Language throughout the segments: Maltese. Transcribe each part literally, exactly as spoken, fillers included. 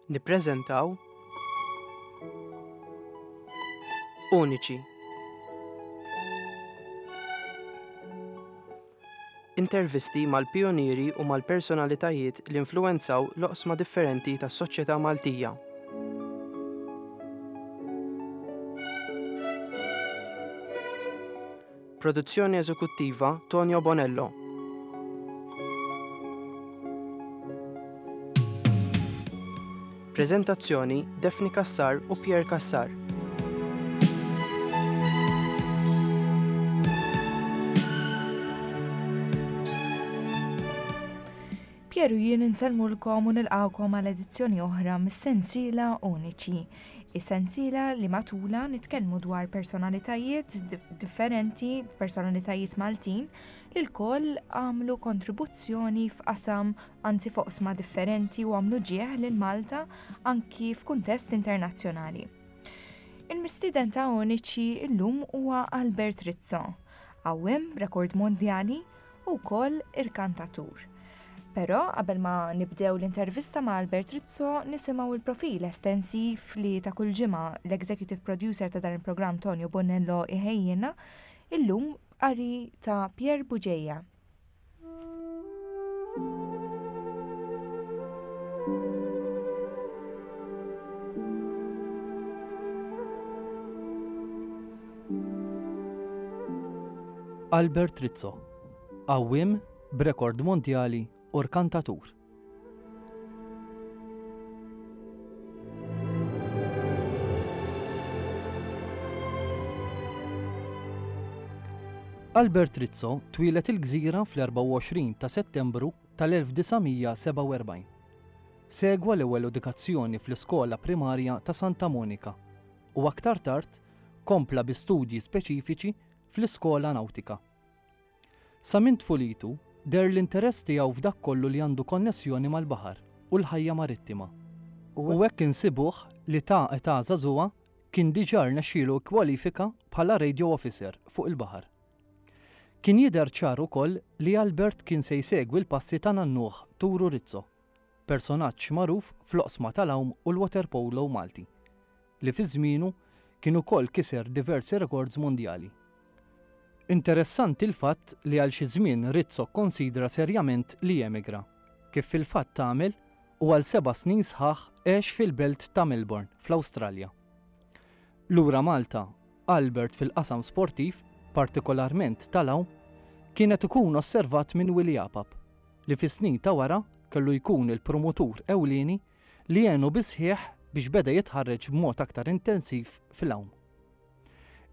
Nippreżentaw Uniċi. Intervisti mal-pijunieri u mal-personalitajiet li influwenzaw l-oqsma differenti tas-soċjetà Maltija. Produzzjoni eżekuttiva Tonio Bonello. Preżentazzjoni Daphne Cassar u Pierre Cassar. Pierre u jien insellmulkom u nilqawkom għal edizzjoni oħra mis-sensiela Uniċi. Is-sensiela li matula nitkellmu dwar personalitajiet differenti, personalitajiet Maltin, li lkoll għamlu kontribuzzjoni f'qasam, anzi f'oqsma differenti u għamlu ġieħ lil Malta anki f'kuntest internazzjonali. Il-mistieden ta' Uniċi illum huwa Albert Rizzo, għawwiem rekord mondjali u wkoll irkantatur. Però qabel ma nibdew l-intervista ma' Albert Rizzo nisimgħu il-profil estensiv li ta' kull ġimgħa l-executive producer ta' dan il-programm Tonio Bonello iħejjina illum qari ta' Pierre Bugeja. Albert Rizzo, għawwiem b'rekord mondjali u rkantatur. Albert Rizzo twieled il-Gżira fl-erbgħa u għoxrin ta' Settembru tal-elf disa' mija sebgħa u erbgħin. Segwa l-ewwel edukazzjoni fl-iskola primarja ta' Santa Monika u aktar tard kompla bi studji speċifiċi fl-iskola nautika. Sa minn tfulitu deher l-interess tiegħu f'dak kollu li għandu konnessjoni mal-baħar u l-ħajja marittima. U hekk insibuh li ta' età żagħżugħa kien diġà rnexxielu kkwalifika bħala radio officer fuq il-baħar. Kien jidher ċar ukoll li Albert kien se jsegwi l-passi ta' nannuh Turu Rizzo, personaġġ magħruf fl-oqsma tal-għawm u l-waterpolo Malti, li fi żmienu kien ukoll kiser diversi rekords mondjali. Interessanti l-fatt li għal xi żmien Rizzo kkonsidra serjament li jemigra, kif fil-fatt għamel u għal seba' snin sħaħ għex fil-belt ta' Melbourne fl-Awstralja. Lura Malta, Albert fil-qasam sportiv, partikolarment tal-għawm, kienet ikun osservat minn Willie Apap, li fis-snin ta' wara kellu jkun il-promotur ewlieni li għenu bisħieħ biex beda jitħarreġ b'mod aktar intensiv fil-għawm.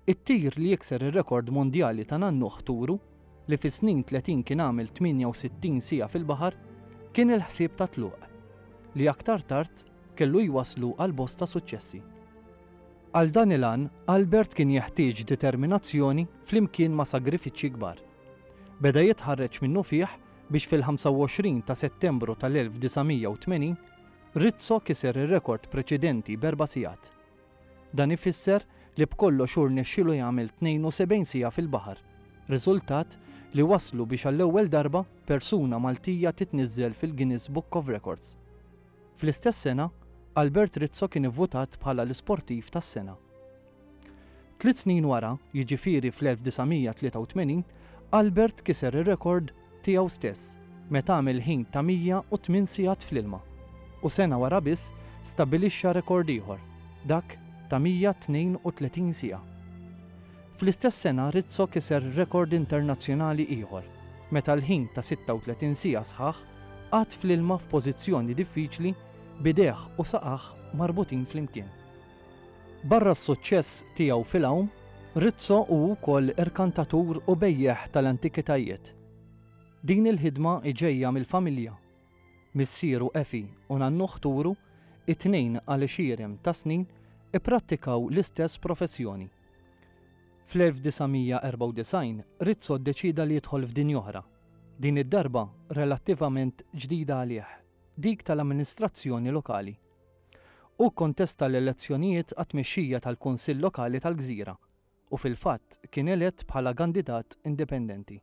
It-tir li jikser ir-rekord mondjali ta' nannuh Turu, li fis-snin tletin kien għamel tmienja u sittin siegħa fil-baħar, kien il-ħsieb ta' tluq, li aktar tard kellu jwaslu għal bosta suċċessi. Għal dan il-għan, Albert kien jeħtieġ determinazzjoni flimkien ma' sagrifiċċji kbar. Beda jitħarreġ minnu fih biex fil-ħamsa u għoxrin ta' Settembru tal-elf disa' mija u tmenin, Rizzo kiser ir-rekord preċedenti b'erba' sigħat. Dan ifisser li b'kollox hu rnexxielu jagħmel tnejn u sebgħin siegħa fil-baħar, riżultat li waslu biex għall-ewwel darba persuna Maltija titniżżel fil-Guinness Book of Records. Fl-istess sena, Albert Rizzo kien ivvutat bħala l-isportiv tas-sena. Tliet snin wara, jiġifieri fl-elf disa' mija tlieta u tmenin, Albert kiser ir-rekord tiegħu stess meta għamel ħin ta' mija u tmien sigħat fl-ilma, u sena wara biss stabilixxa rekord ieħor, dak ta' mija tnejn u tletin siegħa. Fl-istess sena Rizzo kiser rekord internazzjonali ieħor meta l-ħin ta' sitta u tletin siegħa sħaħ qagħad fl-ilma f'pożizzjoni diffiċli b'idejh u saqah marbutin flimkien. Barra s-suċċess tiegħu fil-għawm, Rizzo hu wkoll irkantatur u bejjeħ tal-antikitajiet. Din il-ħidma ġejja mill-familja. Missieru Efi u nannuh Turu, it-tnejn għal għexieren ta' snin, ipprattikaw l-istess professjoni. Fl-elf disa' mija erbgħa u disgħin, Rizzo ddeċida li jidħol f'dinja oħra, din id-darba relattivament ġdida għalih, dik tal-amministrazzjoni lokali. Hu kkontesta l-elezzjonijiet għat-tmexxija tal-Kunsill Lokali tal-Gżira u fil-fatt kien elett bħala kandidat indipendenti.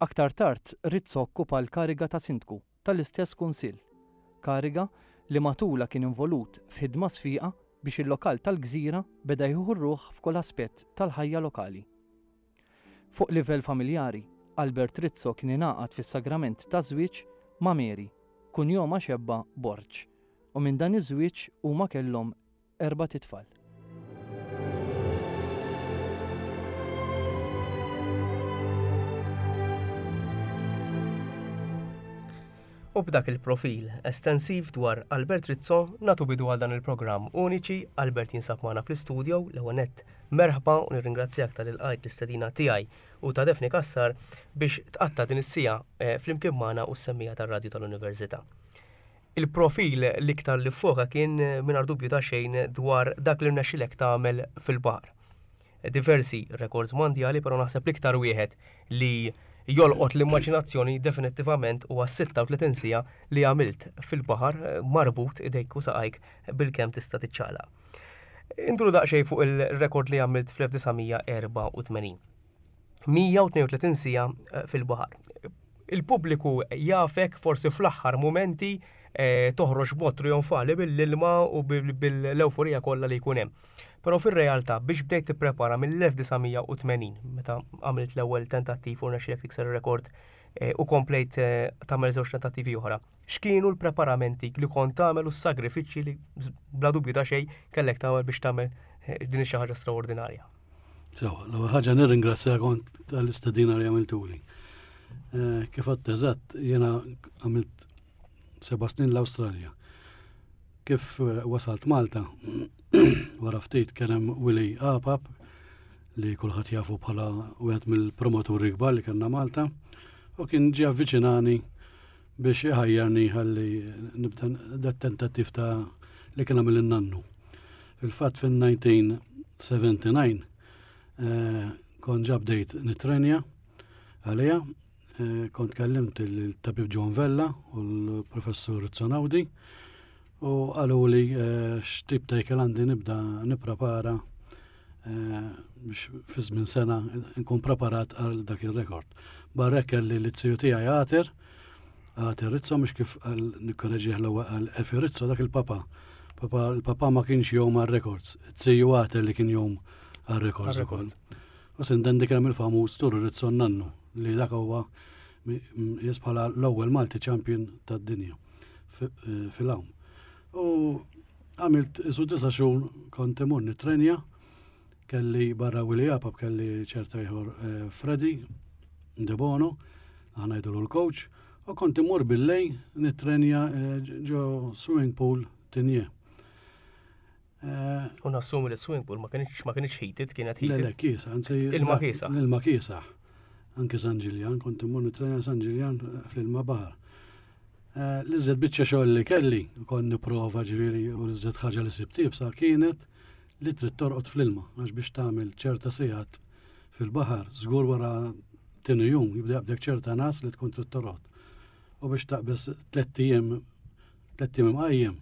Aktar tard Rizzo okkupa l-kariga ta' sindku tal-istess kunsill, kariga li matulha kien involut f'ħidma sfiqa biex il-lokal tal-Gżira beda jieħu r-ruħ f'kull aspett tal-ħajja lokali. Fuq livell familjari, Albert Rizzo kien ingħaqad fis-sagrament taż-żwieġ ma' Mary, kunjoma xebba Borg, u minn dan iż-żwieġ huma kellhom erbat itfal. U b'dak il-profil estensiv dwar Albert Rizzo nagħtu bidu għal dan il-programm Uniċi. Albert jinsab magħna fl-istudio. L-ewwel nett merħba u nirringrazzjak tal-ilqajt l-istedina tiegħi u ta' Daphne Cassar biex tqatta' din is-siegħa eh, flimkien magħna u s-semmiegħa tar-radju tal-Università. Il-profil l-iktar li foka kien eh, mingħajr dubju ta' xejn dwar dak li rnexxilek tagħmel fil-baħar. Diversi rekords mondjali, però naħseb l-iktar wieħed li jolqot l-immaġinazzjoni definittivament huwa sitta u tletin siegħa li għamilt fil-baħar eh, marbut idejk u saqajk bil-kemm tista' tiċċaqlaq. Induru daqsxejn fuq il-rekord li għamilt fl-elf disa' mija erbgħa u tmenin. mija u tnejn u tletin siegħa eh, fil-baħar. Il-pubbliku jafek forsi fl-aħħar momenti eh, toħroġ b'mod trionfali bil-ilma u bil-euforija kollha li jkun hemm. Però fir-realtà biex bdejt tipprepara mill-elf disa' mija u tmenin, meta għamilt l-ewwel tentattiv u rnexxielek tikser ir-rekord eh, u komplejt eh, tagħmel żewġ tentattivi oħra. X'kienu l-preparamenti li kont tagħmel u s-sagrifiċċji li bla dubju ta' xejn kellek tagħmel biex tagħmel eh, din xi ħaġa straordinarja? Sewa, l-ewwel ħaġa nirringrazzjakom tal-istedina li għamiltuli. Kif għedt eżatt, jiena għamilt seba' snin l-Awstralja. Kif wasalt Malta, wara ftit kien hemm Willy Apap li kulħadd jafu bħala wieħed mill-promoturi kbar li kellna Malta u kien ġie avviċinani biex iħajjarni ħalli nibda dat tentattiv ta' li kien għamel in-nannu. Fil-fatt fin-elf disa' mija sebgħa u sebgħin eh, kont ġa bdejt nitrenja għalija, eh, kont kellimt il-tabib John Vella u l-professur Zonaudi u qalu li eh, x'tip ta' ikel għandi nibda nipprepara eh, biex fi żmien sena nkun preparat għal dak il-rekord. Barra kelli l-ziju tiegħi Għater, Għater Rizzo, mhux kif għal nikkoreġih l-ewwel għal Efi Rizzo, dak il-papa. Papa, il-papa ma kienx jgħum għal records, iz-ziju Għater li kien jgħum għal records ukoll. U sintendi kien il-famuż Turu Rizzo nannu li dak huwa jis bħala l-ewwel Malti champion tad-dinja eh, fil-għawm. U għamilt isu disa' xhur kont imur nitrenja, kelli barra Willy Apap, kelli ċerta ieħor eh, Freddy De Bono, aħna ngħidulu l-coach, u kont imur billejl nitrenja eh, ġo swimming pool Tigné. Eh, u nassumi li swimming pool ma kienx ma kienx heated, kienet heated. Le, le, kiesaħ, anzi. Ilma kiesaħ. Ilma kiesaħ. Anke San Ġiljan, kont imur nitrenja San Ġiljan fl-ilma baħar. Eh, l-iżjed biċċa xogħol li kelli, kont nipprova ġifieri, u l-iżjed ħaġa li sibt iebsa kienet li trid torqod fl-ilma, għax biex tagħmel ċerta sigħat fil-baħar, żgur wara tieni jum jibda jaqbdek ċerta ngħas li tkun trid torqod. U biex taqbeż tlett ijiem tlett ijiem imqajjem.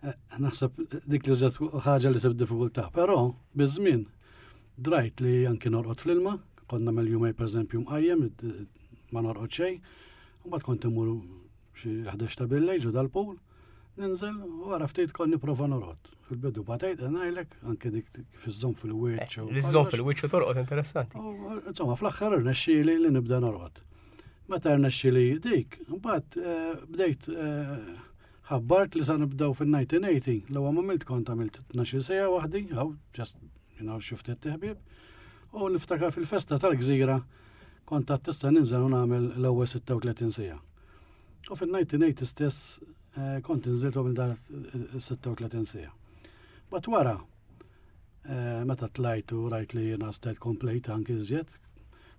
Eh, naħseb dik li żed ħaġa li sibt diffikultà, però biż-żmien drajt li anki norqod fl-ilma, kont nagħmel jumejn pereżempju mqajjem, ma norqod xejn. Mbagħad kont imur xi ħdax ta' billejl ġo dal-pool, ninżel u wara ftit kont nipprova norqod. Fil-bidu batejt ngħidlek, anke dik kif iżżomm fil-wiċċ. Li żżomm fil-wiċċ u torqod, interessanti. Insomma, fl-aħħar irnexxieli li nibda norqod. Meta rnexxieli dik, mbagħad eh, bdejt eh, ħabbart li sa nibdew fin-elf disa' mija tmenin, l-ewwel ma għamilt kont għamilt tnax-il siegħa waħdi, hawn just you know, xi ftit ħbieb. U niftakar fil-festa tal-Gżira kont għad tista' ninżel u nagħmel l-ewwel sitta u tletin siegħa. U fin-elf disa' mija tmenin stess eh, kont inżilt minn da sitta u tletin siegħa. But wara, eh, meta tlajt u rajt li jiena stajt komplejt anki iżjed,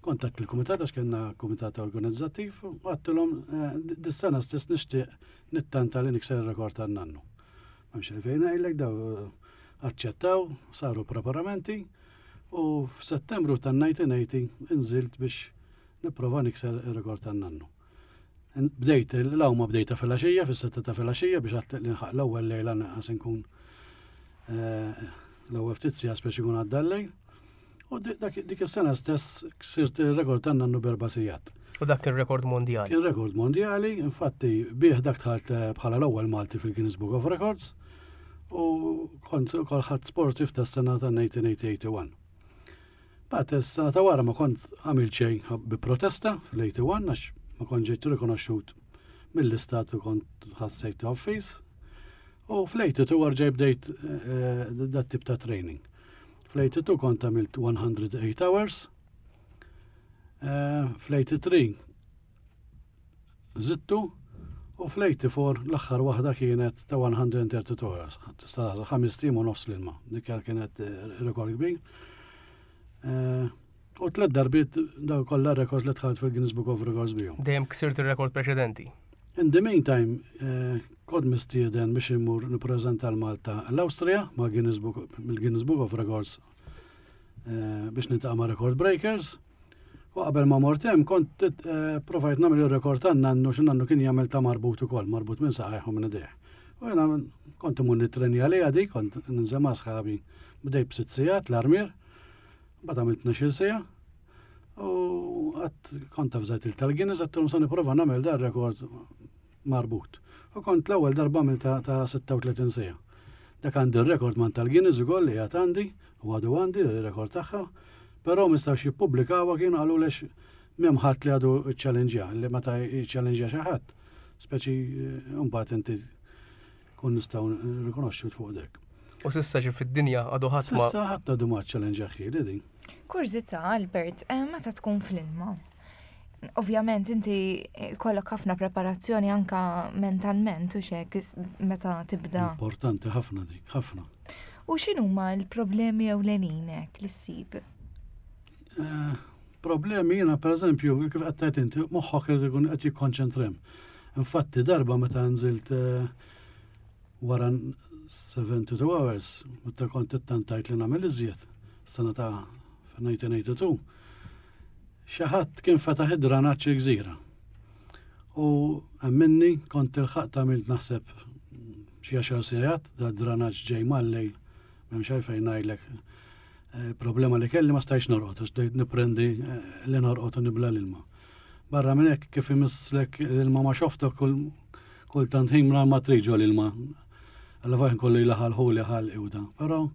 kontatt il-kumitat għax kellna kumitat organizzattiv u għedtilhom eh, dis-sena stess nixtieq nittanta li nikser il-rekord tan-nannu. M'hemmx fejn ngħidlek, daw aċċettaw, saru preparamenti u f'Settembru tan-elf disa' mija tmenin inżilt biex nipprova nikser il-rekord tan-nannu. Bdejt l-għawma bdejta fil-għaxija, fis-sitta ta' fil-għaxija biex għat li nħaq l-ewwel lejla naqas nkun eh, l-ewwel ftit siegħa speċi jkun għadda l-lejl. U dik is-sena stess ksirt il-rekord tan-nannu b'erba' sigħat. U dak il-rekord mondjali. Kien rekord mondjali, infatti bih dak dħalt eh, bħala l-ewwel Malti fil-Guinness Book of Records u kont ukoll ħadt sportif tas-sena ta' elf disa' mija u wieħed u tmenin. Bat is-sena ta' wara ma kont għamilt xejn bi protesta fl-tmenin u wieħed għax ma kont ġejt rikonoxxut mill-istat u kont ħassejt offiż. U fl-tmenin u rġajt bdejt eh, dat tip ta' training. Fl-tmenin u tnejn kont għamilt mija u tmienja hours. Eh, Fl-tmenin u tlieta żidtu u fl-tmenin u erbgħa l-aħħar waħda kienet ta' mija u tlieta u tletin hours. Tista' ħamest ijiem u nofs l-ilma. Dik kienet eh, rekord kbir. Eh, U tliet darbiet daw kollha records li dħalt fil-Guinness Book of Records bihom. Dejjem ksirt il-rekord preċedenti. In the meantime, eh, kont mistieden biex immur nippreżenta l-Malta l-Awstrija ma' Guinness Book, mill-Guinness Book of Records eh, biex niltaqa' ma' Record Breakers. U qabel ma mort hemm kont eh, provajt nagħmel ir-rekord tan-nannu xi nannu kien jagħmel ta' marbut ukoll, marbut minn saqajh u minn idejh. U jiena kont imur nitrenja għaliha di, kont ninżel ma' sħabi, bdejt b'sitt sigħat l-armier, mbagħad għamilt tnax-il siegħa. U għat kont avżajt il tal-Guinness, għedtilhom sa nipprova nagħmel dar rekord marbut. U kont l-ewwel darba għamilt ta' ta' sitta u tletin siegħa. Dak għandi r-rekord man tal-Guinness ukoll li għad għandi, u għadu għandi r-rekord tagħha, però ma jistgħux jippubblikawha, kienu qalu lex m'hemm ħadd li għadu challenge li meta jiċċallenġja xi ħadd, speċi eh, mbagħad inti kun nistgħu rikonoxxu fuq dek. U s'issa ġi fid-dinja għadu ħadd ma. S'issa ħadd għadu ma challenge ħieli din. Kurżità, Albert, eh, meta tkun fl-ilma? Ovvjament inti kollok ħafna preparazzjoni anka mentalment u xek meta tibda. Importanti ħafna dik, ħafna. U x'inhuma l-problemi ewlenin hekk li ssib? Eh, Problemi jiena, per eżempju, kif qed tgħid inti, moħħok irid ikun qed jikkonċentra. Infatti darba meta nżilt eh, wara seventy-two hours, meta kont ittantajt li nagħmel iżjed, sena ta' elf disa' mija u tnejn u tmenin, xi ħadd kien fetaħ id-dranaġġ il-gżira. U minni kont ilħaqt għamilt naħseb xi għaxar sigħat, da dranaġġ ġej mal-lejl, m'hemmx għalfejn ngħidlek eh, problema li kelli, ma stajx norqod, għax bdejt niprendi eh, li norqod u nibla l-ilma. Barra minn hekk, kif imisslek l-ilma ma xoftok kull kultant ħin ma trid l-ilma. Alla fajn kollu jilaħal li ħal iwda. Però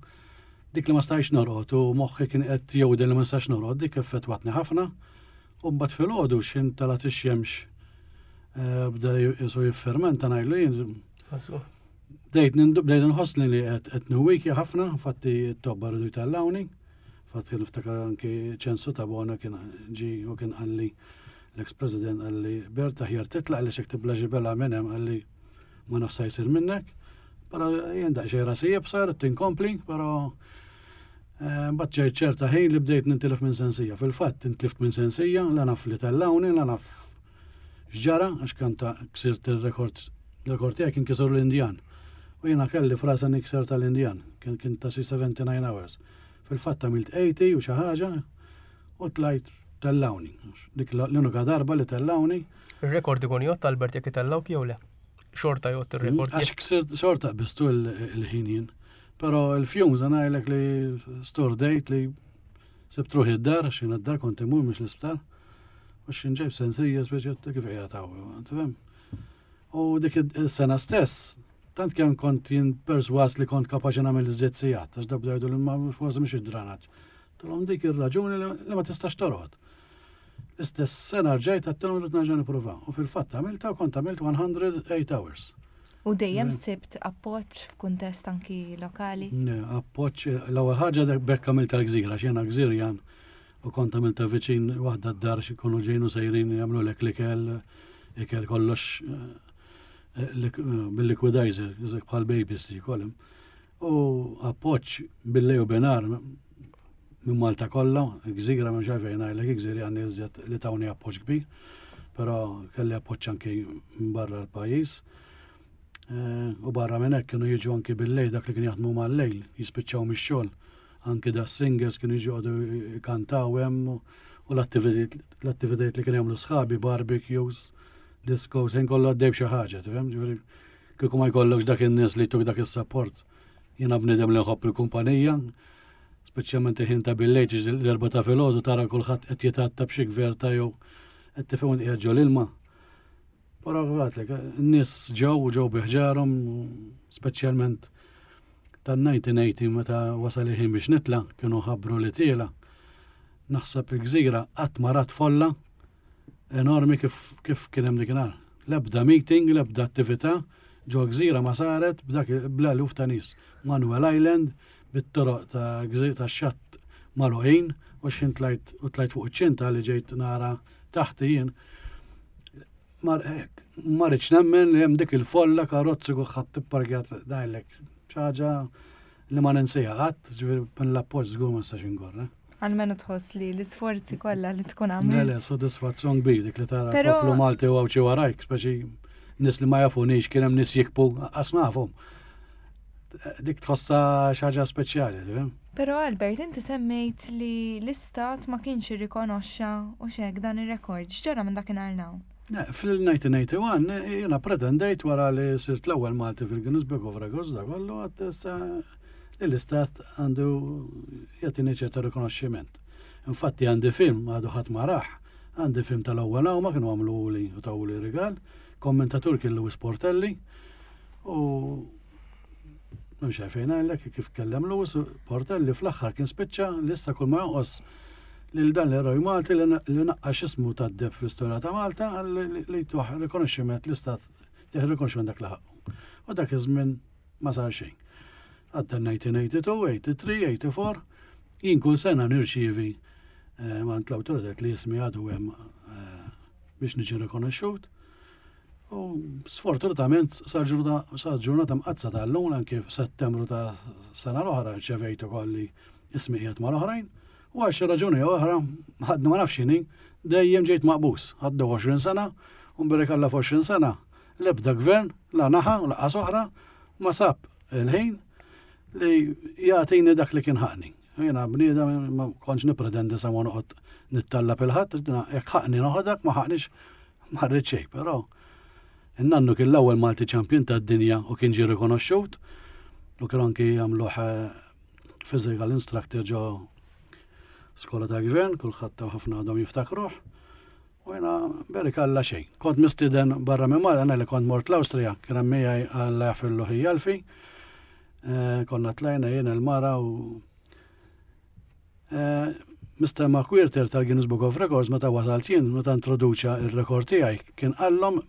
dik li ma stajx norqod u moħħi kien qed jewden li ma nistax norqod, dik effettwatni ħafna. U mbagħad filgħodu x'ħin talat ix-xemx eh, bda jisu jiffermenta ngħidlu jien. Bdejt bdejt nħossni li qed qed niwwikja ħafna, infatti t-tobba rridu jtellawni. Infatti niftakar anki Ċensu Tabona kien ġi u kien qalli, l-ex-president, qalli: "Bert, aħjar titlaq li xek tibla ġibela minn hemm", qalli, "ma nafsa jsir minnek." Però jien daqsxejn rasi jibsar, tinkompli, però eh, mbagħad ġejt ċerta ħin li bdejt nintilef minn sensija. Fil-fatt intlift minn sensija, la naf li tellawni, la naf x'ġara, għax kan ta' ksirt il-rekord, il-rekord tiegħi kien kisur l-Indjan. U jiena kelli frasa nikser tal-Indjan, kien kien ta' si seventy-nine hours. Fil-fatt għamilt tmenin u xi ħaġa u tlajt tellawni. Dik l-unika darba li tellawni. Il-rekord ikun jgħodd, Albert, jekk itellawk jew le? Xorta jgħodd il-rekord? Għax ksirt xorta bistu il-ħin jien. Però il-fumes ngħidlek li stordejt li sibt ruħi d-dar, x'ħin id-dar kont imur mhux l-isptar. U x'ħin ġejt sensija speċi kif qiegħed hawn, tifhem? U dik is-sena stess, tant kemm kont jien perswas li kont kapaċi nagħmel iżjed sigħat, għax dabda jgħidu li ma forsi mhux id-dranaġġ. Tulhom dik ir-raġuni li ma tistax torqod. L-istess sena rġajt għedtilhom rrid nerġa' nipprova. U fil-fatt għamilta u kont għamilt mija u tmienja hours. U dejjem sibt appoġġ f'kuntest anki lokali? Ne, appoġġ, l-ewwel ħaġa dak bekk għamilt tal-gżira, x'jiena gżirjan u kont għamilta viċin waħda d-dar xi jkunu ġejnu sejrin jagħmlu lek l-ikel, ikel kollox eh, bil-liquidizer, jizek bħal babies jkollhom. U appoġġ bil-lejl u binhar minn Malta kollha, gżira minn xejn ngħidlek, gżiri għandi iżjed li tawni appoġġ kbir, però kelli appoġġ anki minn barra l-pajjiż. Eh, u barra minn hekk kienu jiġu anki bil-lejl dak li kien jaħdmu mal-lejl, jispiċċaw mix-xogħol. Anki da singers kienu jiġu għadu kantaw hemm u l-attivitajiet li kienu jagħmlu sħabi, barbecues, discos, ħin kollu għaddej b'xi ħaġa, tifhem? Ġifieri kieku ma jkollokx dak in-nies li tuk dak is-support. Jiena bniedem li nħobb il-kumpanija, Speċjalment ħin ta' bil-lejl, l-erbgħa ta' filgħodu, tara kulħadd qed jitgħatta b'xi gverta jew qed tifhem qiegħed ġol ilma. Però għedtlek, n-nies ġew u ġew bi ħġarhom, speċjalment tan-elf disa' mija u tmenin meta wasal il-ħin biex nitla', kienu ħabbru li tiela'. Naħseb il-gżira qatt ma rat folla enormi kif, kif kien hemm dakinhar. L-ebda meeting, l-ebda attività ġo gżira ma saret b'dak bl-eluf ta' nies. Manuel Island, bit-toroq ta' gżira ta' xatt magħluqin, u x'ħin tlajt u tlajt fuq iċ-ċinta li ġejt nara taħti jien. Mar ma rridx nemmen li hemm dik il-folla, karozzi, kulħadd ipparkjat dajlek. Ħaġa li ma ninsieha qatt, ġifieri minn l-appoġġ żgur ma nistax ingorra. Almenu tħoss li l-isforzi kollha li tkun Le, għamilt. Le, soddisfazzjon kbir dik li tara Però- poplu Malti u Għawdxi warajk, speċi nies li ma jafunix, kien hemm nies jibku, qas nafhom. Dik tħossa xi ħaġa speċjali, tifhem? Però Albert, inti semmejt li l-istat ma kienx irrikonoxxa u xek dan ir-rekord. X'ġara minn dakinhar 'l hawn? Ne, fil-elf disa' mija u wieħed u tmenin jiena pretendejt, wara li sirt l-ewwel Malti fil-Guinness Book of Records da kollu, għedt issa li l-istat għandu jagħtini ċerta rikonoxximent. Infatti għandi film, għadu ħadd ma rah, għandi film tal-ewwel ma kienu għamlu li u tawli rigal, kommentatur kien Louis Portelli u m'hemmx għalfejn ngħidlek kif kellem Louis Portelli fl-aħħar kien spiċċa li issa kull ma jonqos lil dan l-eroj Malti li li naqqax ismu tad-deheb fl-istorja ta' Malta għal li- li tuħ rikonoxximent, l-istat tieħ rikonoxximent dak li ħaqqu. U dak iż-żmien ma sar xejn. Għadda elf disa' mija u tnejn u tmenin, tmienja u tmenin, tmienja u disgħin, jien kull sena nirċievi eh, mingħand l-awtoritet li ismi għadu hemm eh, biex niġi rikonoxxut. U sfortunatament sa ġurnata mqaddsa tal-lum, anke f'Settembru ta' sena l-oħra rċevejt ukoll li ismi qiegħed mal-oħrajn. U għal xi raġuni oħra, ħadni ma nafx x'inhi, dejjem ġejt maqbus. Għadda għoxrin sena, u mbierek Alla f'għoxrin sena l-ebda gvern, la naħa u lanqas oħra, ma sab il-ħin li jagħtini dak li kien ħaqqni. Jiena bniedem ma kontx nippretendi sa ma noqgħod nittallab lil ħadd, jekk ħaqqni noħodha, ma ħaqqnix ma rrid xejn, però in-nannu kien l-ewwel Malti champion tad-dinja u kien ġie rikonoxxut u kien anki jagħmluh eh, physical instructor ġo skola ta' gvern, kulħadd ta' ħafna għadhom jiftakruh. U jiena mbierek Alla xejn. Kont mistieden barra minn Malta, li kont mort l-Awstrija, kien hemm miegħi Alla jaħfirlu ħija Alfi. Eh, Konna tlajna jien, il-mara u Eh, Mister McWhirter tal-Guinness Book of Records, meta wasalt jien, meta introduċa il-rekord tiegħi, kien qallhom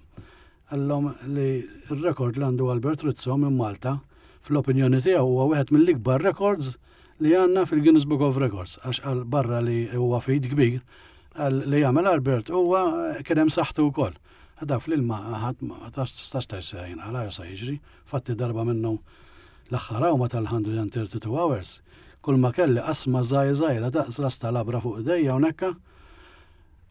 qallhom li il-rekord li għandu Albert Rizzo minn Malta, fl-opinjoni tiegħu huwa wieħed mill-ikbar records li għandna fil-Guinness Book of Records, għax għal barra li huwa feat kbir, għal li jagħmel Albert huwa kien hemm saħħtu wkoll. Għada fl-ilma ħadd ma tistax tgħid jinqala sa jiġri, fatti darba minnhom l-aħħar ma tal-one hundred thirty-two hours, kull ma kelli qasma żgħira żgħira daqs ras ta' labra fuq idejja hawnhekk.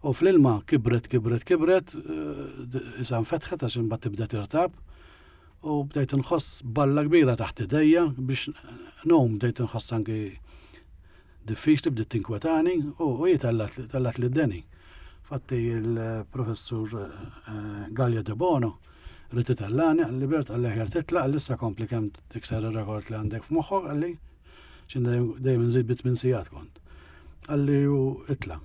U fl-ilma kibret, kibret, kibret, eh, issa nfetħet għax imbagħad tibda tirtab. U bdejt nħoss balla kbira taħt idejja biex ngħum, bdejt nħoss anki diffiċli, bdiet tinkwetani u u tellgħet li d-deni. Fatti il-professur eh, Gallia De Bono ried itellagħni, qalli: "Bert," qalli, "aħjar titla'," qalli, "issa kompli kemm tikser il-rekord li għandek f'moħħok," qalli, x'ħin dejjem nżid bi tmien sigħat kont. Qalli u itla'.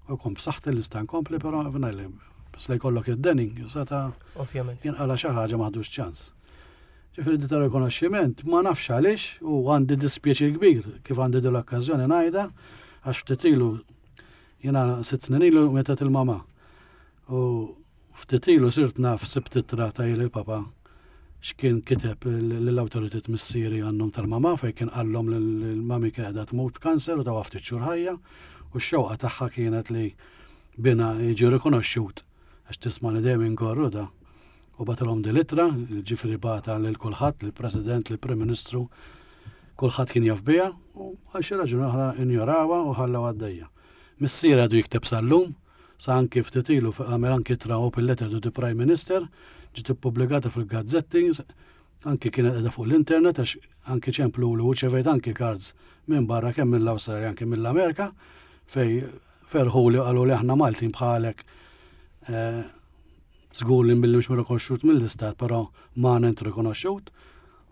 U kont b'saħħti li nista' nkompli, però f'najli, bas li jkollok id-deni, sata Ovvjament. jinqala xi ħaġa m'għadux ċans. Ġifieri di ta' rikonoxximent ma nafx għaliex u għandi dispjaċir kbir kif għandi din l-okkażjoni ngħidha, għax ftit ilu, jiena sitt snin ilu mietet il-mama. U ftit ilu sirt naf, sibt ittra ta' il-papa x'kien kiteb lill-awtoritet missieri għan-nom tal-mama, fejn kien qallhom li l-mami kien qiegħda tmut b'kanser u ta' ftit xhur ħajja u x-xewqa tagħha kienet li binha jiġi rikonoxxut, għax tismani dejjem inkorru da. U bagħtilhom din l-ittra, ġifieri bagħatha lil kulħadd, lill-President, lill-Prim Ministru, kulħadd kien jaf biha u għal xi raġuni oħra injorawha u ħallew għaddejja. Missier għadu jikteb sal-lum, sa anki ftit ilu għamel anki ittra, open letter to the Prime Minister, ġiet ippubblikata fil-gazzetti, anki kienet qiegħda fuq l-internet, għax anki ċemplu u rċevejt anki cards minn barra, kemm mill-Awstralja, anki mill-Amerika, fej ferħu li qalu li aħna Maltin bħalek, eh, żgur li billi mhux rikonoxxut mill-istat, però ma int rikonoxxut,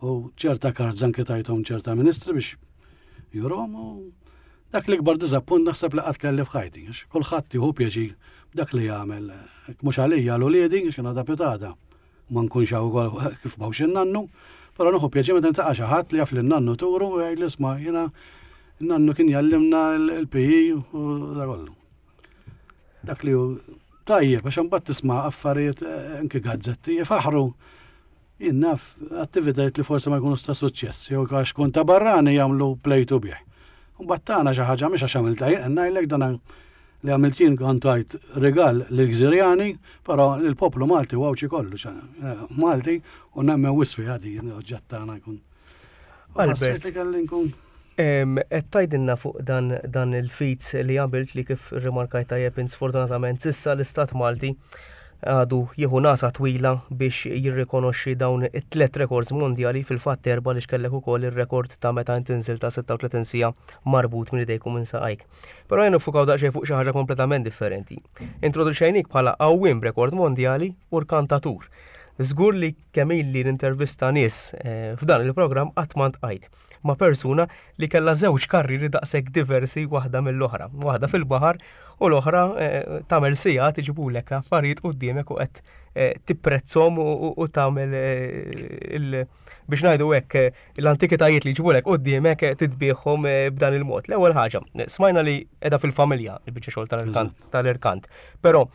u ċerta cards anki tajthom ċerta ministri biex juruhom u Dak l-ikbar diżappunt naħseb li qatt kelli f'ħajti, għax kulħadd jieħu pjaċir b'dak li jagħmel. Mhux għalija għal uliedi, għax jiena pitgħada. Ma nkunx hawn ukoll kif m'hawnx in-nannu, però nieħu pjaċir meta niltaqa' xi ħadd li jaf lin-nannu Turu u jgħid isma' jiena n-nannu kien jgħallimna l-P E u da kollu. Dak li hu tajjeb, għax imbagħad tisma' affarijiet eh, anke gazzetti jifaħru jien naf attivitajiet li forsi ma jkunux ta' suċċess, jew għax kun ta' barrani jagħmlu plejtu bih. Mbagħad tagħna xi ħaġa mhix għax għamilta jien, ngħidlek dan li għamilt jien kont tajt rigal lill-Gżirjani, però l-poplu Malti u Għawdxi kollu, eh, Malti u nemmen wisq fi għadi oġġett tagħna jkun. Albert. Ħassejt li kelli nkun Qed tgħidilna fuq dan, dan il-feat li għamilt li kif rimarkajt tajjeb sfortunatament s'issa l-Istat Malti għadu jieħu nagħsa twila biex jirrikonoxxi dawn it-tlet rekords mondjali, fil-fatt erba' li xkellek ukoll ir-rekord ta' meta inti ta' sitta u tletin siegħa marbut minn idejk u minn saqajk. Però jien niffukaw daqsxejn fuq xi ħaġa kompletament differenti. Introduċejnik bħala għawwiem rekord mondjali u rkantatur. Żgur li kemm ili nintervista nies eh, f'dan il-programm qatt ma ltqajt ma' persuna li kellha żewġ karriri daqshekk diversi waħda mill-oħra. Waħda fil-baħar u l-oħra eh, tagħmel sigħat iġibulek affarijiet quddiemek u qed eh, tipprezzhom u u tagħmel eh, il biex ngħidu hekk eh, l-antikitajiet li jġibulek quddiemek eh, titbiegħhom eh, b'dan il-mod. L-ewwel ħaġa, smajna li qiegħda fil-familja il-biċċa xogħol tal-irkant tal-irkant. Però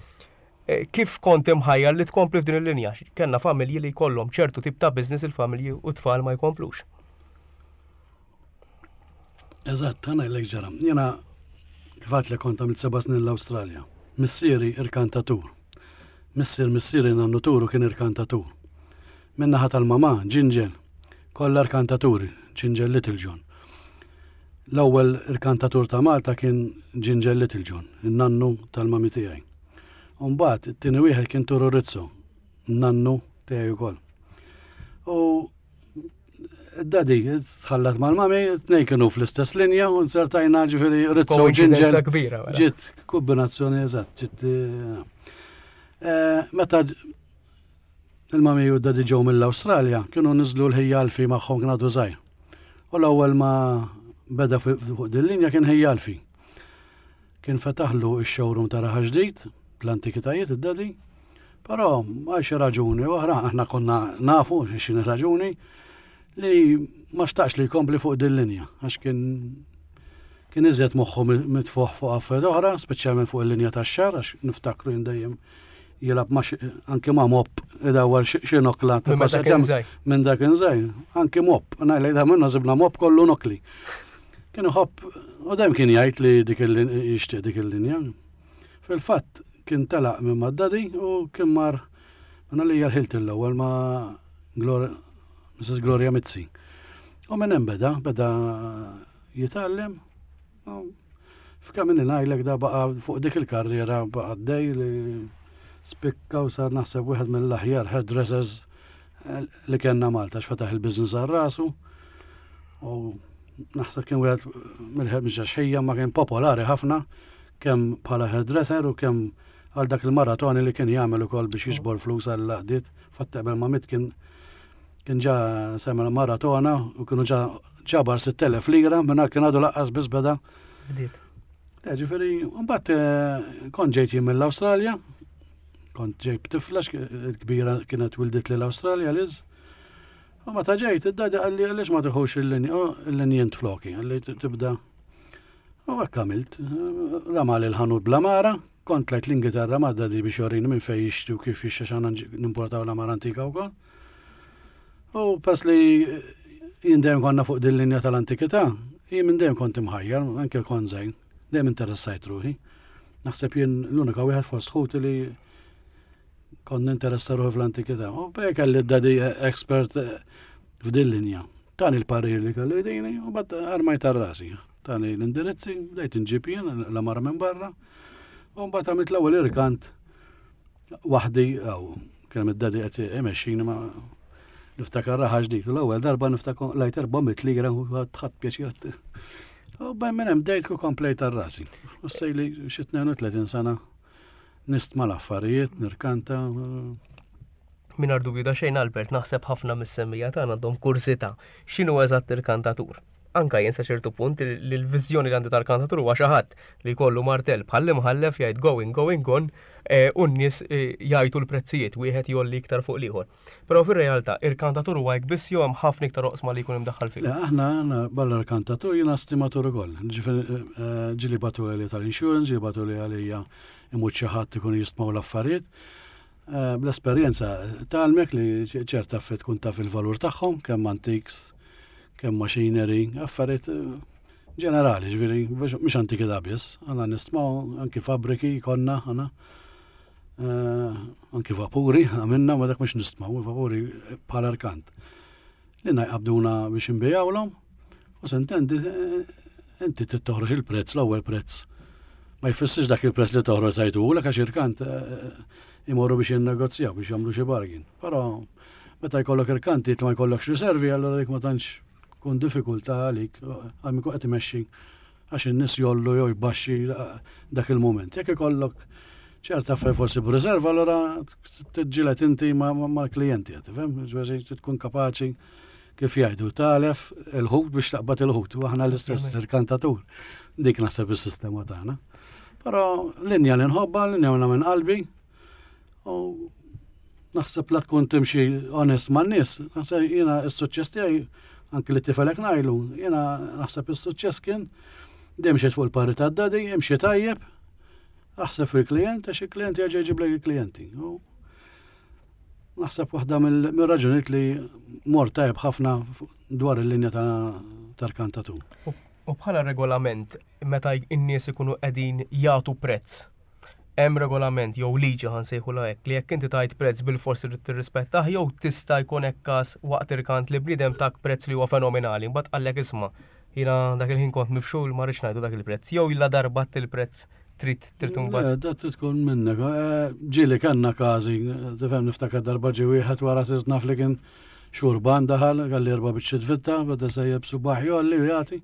eh, kif kont imħajjar li tkompli f'din il-linja? Kellna familji li jkollhom ċertu tip ta' business il-familji u tfal ma jkomplux. Eżatt, ħa ngħidlek ġara. Jiena kif għedt li kont għamilt seba' snin l-Awstralja. Missieri irkantatur. Missier missieri nannu Turu kien irkantatur. Min-naħa tal-mama, Ġinġel, kollha irkantaturi, Ġinġel Little John. L-ewwel irkantatur ta' Malta kien Ġinġel Little John, in-nannu tal-mami tiegħi. Umbagħad it-tieni wieħed kien Turu Rizzo, nannu tiegħi wkoll. U daddy tħallat mal-mami, tnejn kienu fl-istess linja u nsertajna ġifieri Rizzo u Ġinġel. Koincidenza kbira, mela. Ġiet kombinazzjoni eżatt, ġiet eh, eh, meta il-mami u daddy ġew mill-Awstralja, kienu niżlu l-ħija Alfi magħhom, kien għadu żgħir. U l-ewwel ma beda fuq din linja kien ħija Alfi. Kien fetaħlu x-showroom ta' Raħal Ġdid, bl-antikitajiet id-daddy, però għal xi raġuni oħra, aħna konna nafu x'inhi raġuni, li ma xtaqx li jkompli fuq din linja, għax kien kien iżjed moħħu mitfuħ fuq affarijiet oħra, speċjalment fuq il-linja tax-xagħar, għax niftakru jien dejjem jilgħab ma anke ma' mop idawwar xi nokla. Minn meta kien żgħir. Minn dak żgħir, anke mop, ngħidlek da minna żibna mop kollu nokli. Kien iħobb, u dejjem kien jgħid li dik il jixtieq dik il-linja. Fil-fatt kien telaq minn mad-daddy u kien mar minna li l-Ħilt l-ewwel ma' Gloria, Missus Gloria Mizzi. U minn hemm beda, beda jitgħallem. U f'kemm ngħidlek da baqa' fuq dik il-karriera baqa' dej li spikka u sar naħseb wieħed mill-aħjar hairdressers eh, li kellna Malta, x'fetaħ il-business għal rasu. U naħseb kien wieħed mill-ħed ħija ma kien popolari ħafna kemm bħala hairdresser u kemm għal dak il-maratoni li kien jagħmel ukoll biex jiġbor flus għall-għaqdiet. Fatt qabel ma miet kien kien ġa semel maratona u kienu ġa ġabar sitt elef lira minn kien għadu lanqas biss beda. Bdiet. Le, ġifieri, mbagħad eh, kont ġejt jien mill-Awstralja, kont ġejt b'tifla kbira kienet wildet li l-Awstralja Liz. U meta ġejt, id-daddy qalli għaliex ma tiħux il-linja, il-linja int floki, qalli tibda. U hekk għamilt, ramali l-ħanut bl-għamara, kont tlajt l-Ingilterra ma' daddy biex jorini minn fejn jixtri u kif jixtri xana nimportaw l-għamara antika wkoll. U pers li jien dejjem konna fuq din linja tal-antikità, jien minn dejjem kont imħajjar, anke kont żgħir, dejjem interessajt ruħi. Naħseb jien l-unika wieħed fost ħuti li kont ninteressa ruħi fl-antikità. U bej kelli d-daddy expert eh, f'din linja. Tani l-parir li kellu jdini u bat armajt rasi. Tani l-indirizzi, bdejt nġib jien l-għamara minn barra. U mbagħad għamilt l-ewwel irkant waħdi, aw kien id-daddy qed imexxini ma niftakar Raħal Ġdid. U l-ewwel darba niftakar lajt erba' mitt lira u ħadt pjaċir. U bejn minn hemm bdejt ku komplejt rasi. U sejli xi tnejn u tletin sena nistma l-affarijiet, nirkanta. Mingħajr dubju ta' xejn, Albert, naħseb ħafna mis-semmiegħa tagħna għandhom kurżità. X'inhu eżatt irkantatur? Anka jien sa ċertu punt li l-viżjoni li għandi tal-kantatur huwa xi ħadd li jkollu martell bħal imħallef jgħid "going, going, gone" eh, u n-nies eh, jgħidu l-prezzijiet, wieħed jolli iktar fuq l-ieħor. Però fir-realtà il-kantatur huwa hekk biss jew hemm ħafna iktar oqsma li jkun imdaħħal fih? Le, aħna aħna barra l-kantatur jiena stimatur ukoll. Ġifieri eh, ġieli bagħtu li tal-insurance, ġieli bagħtu li għalija imut xi ħadd ikun jistmaw l-affarijiet. Bl-esperjenza tgħallmek li ċerta affarijiet tkun taf il-valur tagħhom, kemm antiques, kemm machinery, affarijiet eh, ġenerali, ġifieri, mhux antikità biss, għandna nistmaw anki fabriki konna, għandna eh, anki vapuri, għamilna, ma dak mhux nistmaw, vapuri bħala rkant. Li jqabduna biex nbijawlhom, u s'intendi, eh, inti toħroġ il-prezz, l-ewwel prezz. Ma jfissirx dak il-prezz li toħroġ sajtu, l għax irkant imorru biex jinnegozjaw, biex jagħmlu xi bargain. Però meta jkollok irkanti ma jkollokx riservi, allura dik ma tantx kun diffikultà għalik, għal min qed imexxi, għax in-nies jollu jew jbaxxi dak il-moment. Jekk ikollok ċerta affarijiet forsi b'riserva, allura tiġġieled inti mal-klijenti, tifhem? Ġifieri tkun kapaċi, kif jgħidu, tagħlef il-ħut biex taqbad il-ħut, u aħna l-istess il-kantatur. Dik naħseb is-sistema tagħna. Però linja li nħobba, linja minn qalbi, u naħseb la tkun timxi onest man-nies, naħseb jiena s-suċċess tiegħi, anki li tifelek ngħidlu, jiena naħseb is-suċċess kien dejjem mxiet fuq il-parir tad-daddy, imxi tajjeb, aħseb fil-klient, għax il-klient jerġa' jġiblek il-klijenti. U naħseb waħda mill-raġunijiet li mor tajjeb ħafna dwar il-linja ta' kantatur. U bħala regolament, meta n-nies ikunu qegħdin jagħtu prezz, hemm regolament jew liġi, ħa nsejħu hekk, li jekk inti tajt prezz bil-forsi trid tirrispettah, jew tista' jkun hekk każ waqt irkant li bniedem tak prezz li huwa fenomenali, mbagħad qallek, "Isma', jiena dak il-ħin kont mifxul, ma rridx ngħidu dak il-prezz," jew illa darba il-prezz trid trid imbagħad? Da trid tkun minnek. Eh, ġieli kellna każi, tifhem, niftakar darba ġie wieħed wara sirt naf li kien xurban, daħal, qalli erba' biċċiet vitta, beda sejjeb subaħ jolli u jagħti.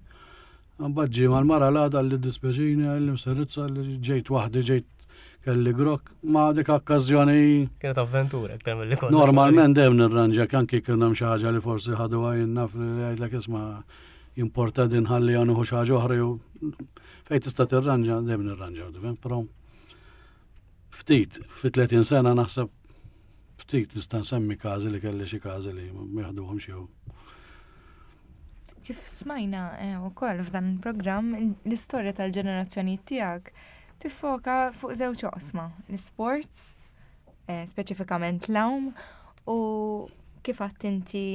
Mbagħad ġie mal-mara l-għada li "Dispjaċini," qalli, "Mister Rizzo," li "ġejt waħdi, ġejt kelli grok." Ma dik okkażjoni. Kienet avventura aktar milli konna. Normalment dejjem nirranġa, anki kien hemm xi ħaġa li forsi ħadu għajn naf li jgħidlek, "Isma', jimporta din, ħalli nieħu xi ħaġa oħra," jew fejn tista' tirranġa dejjem nirranġa, tifhem? Però ftit, fi tletin sena naħseb ftit nista' nsemmi każi li kelli xi każi li ma jaħduhomx jew. Kif smajna eh, ukoll f'dan il-programm, l-istorja tal-ġenerazzjoni tiegħek tiffoka fuq żewġ oqsma, l-sports, eh, speċifikament l-għawm, u kif għedt inti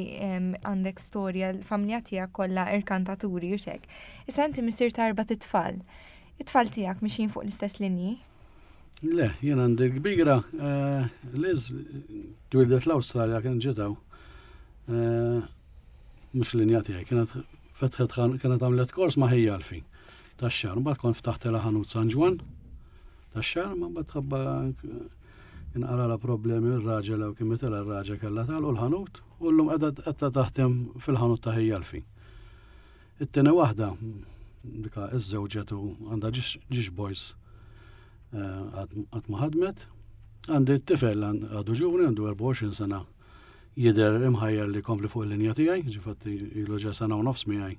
għandek storja, l-familja tiegħek kollha irkantaturi u xek. Issa inti missier ta' erbat itfal. It-tfal tiegħek mixin fuq l-istess linji? Le, jien għandi kbira, eh, Liz, twildet l-Awstralja, kien ġitaw. Mhux linja tiegħi, kienet fetħet, kienet għamlet kors ma' ħija Alfi tax-xagħar, mbagħad kont ftaħt ħanut San Ġwann tax-xagħar, ma mbagħad ħabba inqara problemi r-raġel u kien mitela r-raġel kellha tagħlqu l-ħanut u llum qiegħda taħdem fil-ħanut ta' ħija Alfi. It-tieni waħda dika iżżewġet u għandha żewġ boys, qatt ma ħadmet. Għandi t-tifel għadu ġuvni, għandu erbgħa u għoxrin sena, jidher imħajjar li kompli fuq il-linja tiegħi, ġifatti ilu ġa sena u nofs miegħi.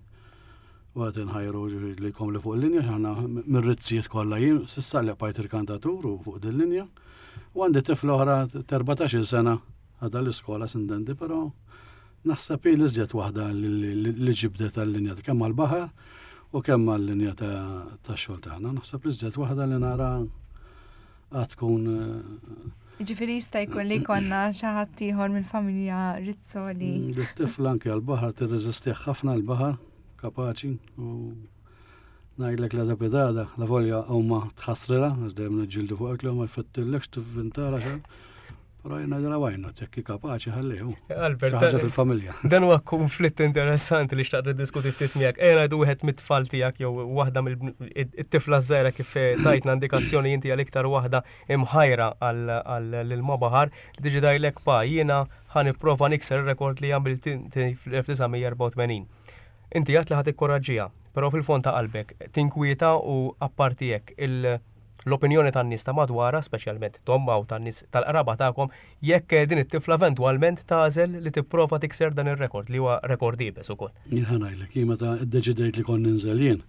U għad inħajru li jkompli fuq il-linja, ħana mir-Rizzijiet kollha jien s'issa li bqajt il-kantatur u fuq din linja. U għandi tifla oħra erbatax-il sena, għadha l-iskola s'intendi, però naħseb li iżjed waħda li ġibdet għal-linja kemm għal-baħar u kemm għal-linja ta' xogħol tagħna. Naħseb li iżjed waħda li nara għad tkun. Ġifieri jista' jkun li jkollna xi ħadd ieħor mill-familja Rizzo li. Mm, tifla anke għal-baħar tirreżisti ħafna l-baħar, kapaċi, u ngħidlek la da la volja huma tħassrila, għax dejjem niġġieldu fuq li ma jfettillekx tivvintara xejn. Però jiena ngħidilha, "Why not, jekk kapaċi ħallihu." Albert, ħaġa fil-familja. Dan huwa konflitt interessanti li xtaqt niddiskuti ftit miegħek. Ejja ngħidu wieħed mit-tfal tiegħek jew waħda mill-tifla żgħira, kif tajtna indikazzjoni inti għal iktar waħda imħajra għall-ilma baħar, li tiġi tgħidlek, "Pa, jiena ħa nipprova nikser ir-rekord li għamilt fl-elf disa' mija erbgħa u tmenin" Inti għedt li ħa tikkoraġġiha, però fil-fond ta' qalbek tinkwieta u apparti hekk il L-opinjoni tan-nies ta' madwarha, speċjalment t'ommha u tan-nies tal-qraba tagħkom, jekk din it-tifla eventwalment tagħżel li tipprova tikser dan ir-rekord li huwa rekord iebes ukoll. Jien ħa ngħidlek, jien meta ddeċidejt li kont ninżel jien,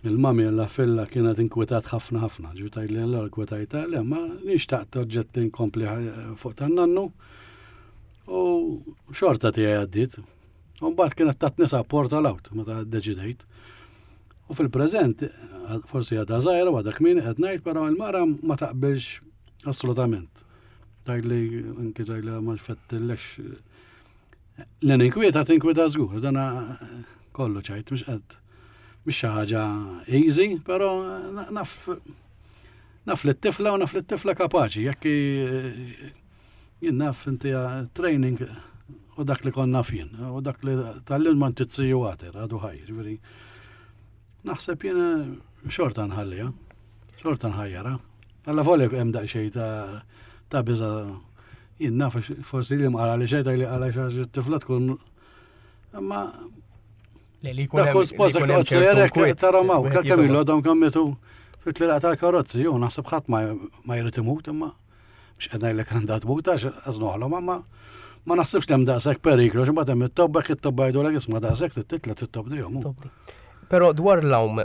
il-mami Alla filla kienet inkwetat ħafna ħafna, ġifieri tgħidli allura kwetajta, le ma nixtaqt oġġett inkompli fuq tan-nannu u xorta tiegħi għaddiet. U mbagħad kienet tatni support all out meta ddeċidejt. U fil-preżent, forsi għadha żgħira u għadha kmieni qed ngħid, però l-mara ma taqbilx assolutament. Tgħidli anke tgħidli ma fettillekx. Li ninkwieta tinkwieta żgur, dana kollu ċajt, mhux qed mhux xi ħaġa easy, però naf naf li t-tifla u naf li t-tifla kapaċi, jekk jien naf inti training u dak li konna jien, u dak li tal-lin ma ntizziju għater, għadu ħaj, ġifieri. Naħseb jien xorta nħallija, xorta nħajjara. Alla volja hemm daqsxejn ta' ta' biża jien naf forsi li mqara li xejn li qala xi tifla tkun imma Li li jkun dak kull sposa toqgħod sejjerek tara maw, kemm ilu għadhom kemm fit-tlilaq tal-karozzi, jew naħseb ħadd ma jrid imut imma mhux qed ngħidlek għandha tmut għax għażnoħlhom imma ma naħsibx li hemm daqshekk periklu, xi mbagħad hemm it-tobba it-tobba jgħidulek isma' daqshekk titla' tittobdihom. Però dwar l-għawm,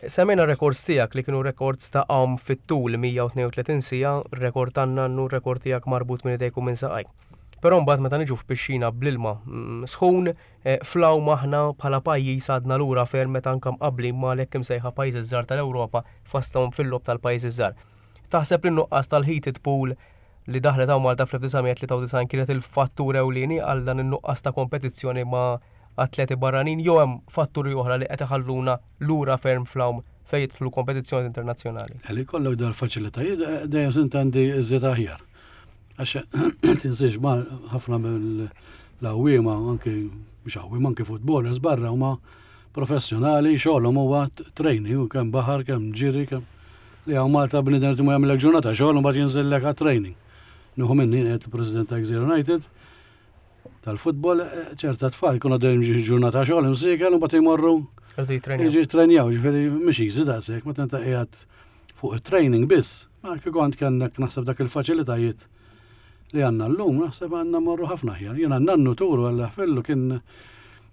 semmejna rekords tiegħek li kienu rekords ta' għawm fit-tul mija u tnejn u tletin siegħa, rekord tan-nannu, rekord tiegħek marbut minn idejk u minn saqajk. Però mbagħad meta niġu f'pixxina bl-ilma, mm, sħun, eh, fl-għawm aħna bħala pajjiż għadna lura ferm meta anke mqabbli ma' l-hekk imsejħa pajjiżi żgħar tal-Ewropa fosthom fil-logħob tal-pajjiżi żgħar. Taħseb li n-nuqqas tal-heated pool li daħlet hawn Malta fl-elf disa' mija tlieta u disgħin kienet il-fattur ewlieni għal dan in-nuqqas ta' kompetizzjoni ma' atleti barranin jew hemm fatturi oħra li qed iħalluna lura ferm fl-għawm fejn jidħlu kompetizzjoni internazzjonali? Għalli kollok dar faċilitajiet, eh, dejjem sintendi iżjed aħjar. Għax tinsiex ma ħafna mill-għawwiema, anki mhux għawwiema, anki footballers barra huma professjonali, xogħolhom huwa training, u kemm baħar, kemm ġiri, kemm li hawn Malta bniedem li jagħmel ġurnata xogħol u mbagħad jinżillek għat-training. Nieħu minni qed il-President ta' Gżira United tal-futbol, eh, ċerta tfal jkunu għaddejjin ġi ġurnata xogħol imsiekel u mbagħad jmorru Irdu jitrenjaw. Jiġi jitrenjaw, ġifieri mhux easy daqshekk, meta inti qiegħed fuq it-training biss. Ma kieku kont kellek naħseb dak il-faċilitajiet li għandna llum, naħseb għandna morru ħafna aħjar. Jiena nannu turu għal ħfellu kien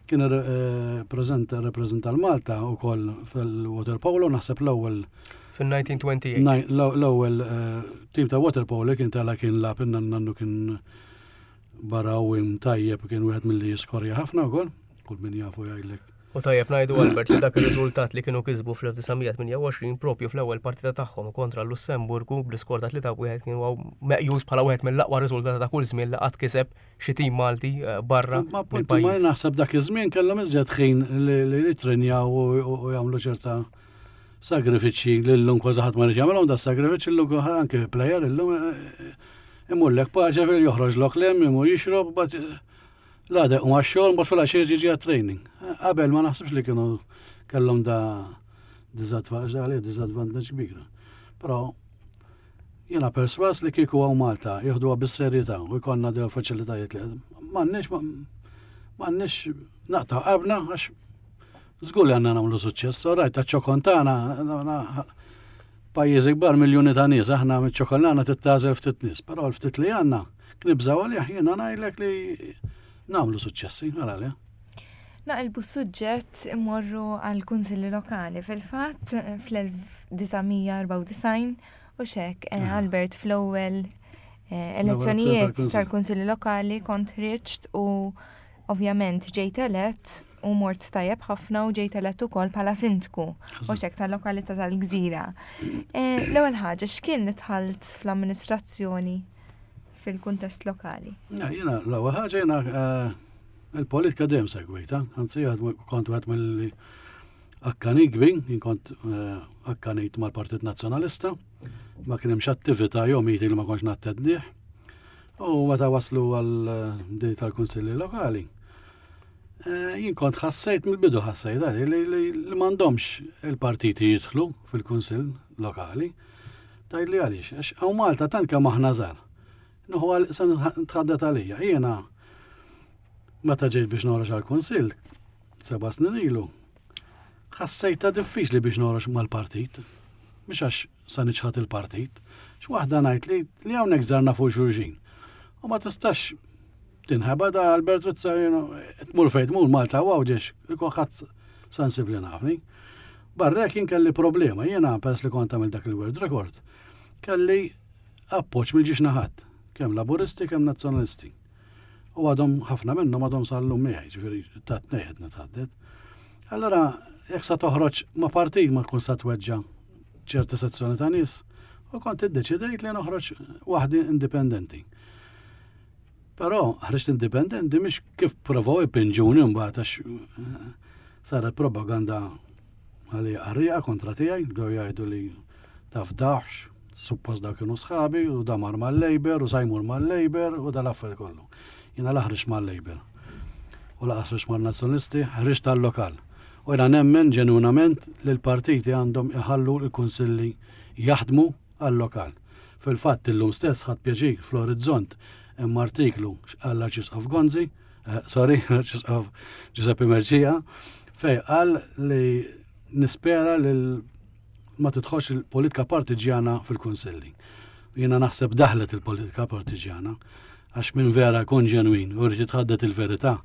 kien eh, preżenta rappreżenta l-Malta wkoll fil-water polo, naħseb l-ewwel Fin-nineteen twenty-eight. Naj-, l-, l-ewwel, eh, tim ta' water polo kien tala kien lab, nannu kien barawim tajjeb, kien wieħed milli jiskorja ħafna wkoll, kull min jafu jgħidlek. U tajjeb ngħidu Albert li dak ir-riżultat li kienu kisbu fl-elf disa' mija tmienja u għoxrin propju fl-ewwel partita tagħhom kontra l-Lussemburgu bl-iskor ta' tlieta wieħed kien huwa meqjus bħala wieħed mill-aqwa riżultati ta' kull żmien li qatt kiseb xi tim Malti, eh, barra Ma appuntu, ma mill-pajjiż. naħseb dak iż-żmien kellhom iżjed ħin li, li jitrenjaw u, u, u jagħmlu ċerta sagrifiċċji li llum kważi ħadd ma jrid jagħmilhom da sagrifiċċji llum anke player illum, eh, imur lek paċe fil joħroġ lok lem, imur jixrob, bat l-għada u għax-xogħol, mbagħad fil-għaxija jiġi għat-training. Qabel ma naħsibx li kienu kellhom da disadvantage, disadvantage kbira. Però jiena perswas li kieku hawn Malta jieħduha bis-serjetà u jkollna dawn faċilitajiet li m'għandniex m'għandniex naqta' qalbna għax żgur li għandna nagħmlu suċċess. Rajt taċ-ċokon tagħna pajjiżi kbar miljuni ta' nies, aħna miċ-ċokolana tittażel ftit nies, però l-ftit li għandna knibżgħu għalih, jiena ngħidlek li nagħmlu suċċessi, għal għalih. Naqilbu suġġett immorru għal kunsilli lokali. Fil-fatt, fl-elf disa' mija erbgħa u disgħin u xek, eh, Ah. Albert, fl-ewwel, eh, L-ewwel elezzjonijiet tal-kunsill. tal-kunsilli lokali kont ħriġt u ovvjament ġejt elett u mort tajjeb ħafna u ġejt elett ukoll bħala sindku u xek tal-lokalità tal-Gżira. Eh, l-ewwel ħaġa, x'kien li dħalt fl-amministrazzjoni fil-kuntest lokali? Ja, jiena l-ewwel ħaġa jiena, eh, il-politika dejjem segwejta, anzi għad kont wieħed mill akkanit kbir, jien kont, eh, akkanit mal-Partit Nazzjonalista, ma kien hemmx attività jew meeting li ma kontx nattendih. U meta waslu għal, eh, di tal-kunsilli lokali, eh, jien kont ħassejt mill-bidu ħassejt għali li, li, li m'għandhomx il-partiti jidħlu fil-kunsill lokali. Tgħidli għaliex, għax hawn Malta tant kemm aħna żgħar. Nuhu għal se nitħaddet għalija. Jiena meta ġejt biex noħroġ għall-kunsill, seba' snin ilu, ħassejtha diffiċli biex noħroġ mal-partit. Mhux għax sa niċħad il-partit. X'waħda ngħid li li hawnhekk żarna fuq xulxin. U ma tistax tinħeba da Albert Rizzo tmur fejn tmur Malta u Għawdex, kulħadd sensibbli nafni. Barra jien kelli problema, jiena peress li kont għamil dak il-world record, kelli appoġġ mill-ġiex naħat, kemm Laburisti kemm Nazzjonalisti. U għadhom ħafna minnhom għadhom sal-lum miegħi, ġifieri ta' tnejn nitħaddet. Allora, jekk sa toħroġ ma' partit ma tkun sa tweġġa ċerta sezzjoni ta' nies, u kont iddeċidejt li noħroġ waħdi indipendenti. Però ħriġt indipendenti mhix kif provaw ipinġuni mbagħad għax eh, saret propaganda għalli qarrieqa kontra tiegħi, bdew jgħidu li tafdax, suppost daw kienu sħabi u da mar mal-Labour u sa jmur mal-Labour u dal-affarijiet kollu. Jiena la ħriġt mal-Labour u la ħriġt mal-Nazzjonalisti, ħriġt tal-lokal. U jiena nemmen ġenwinament li l-partiti għandhom iħallu l-kunsilli jaħdmu għal-lokal. Fil-fatt illum stess ħadt pjaċir fl-Orizzont hemm artiklu x'qal l-Arċisqof Gonzi, eh, sorry, l-Arċisqof Giuseppe Mercieca, fej qal li nispera li ma tidħolx il-politika partiġjana fil-kunsilli. Jiena naħseb daħlet il-politika partiġjana għax minn vera jkun ġenwin u rrid jitħaddet il-verità.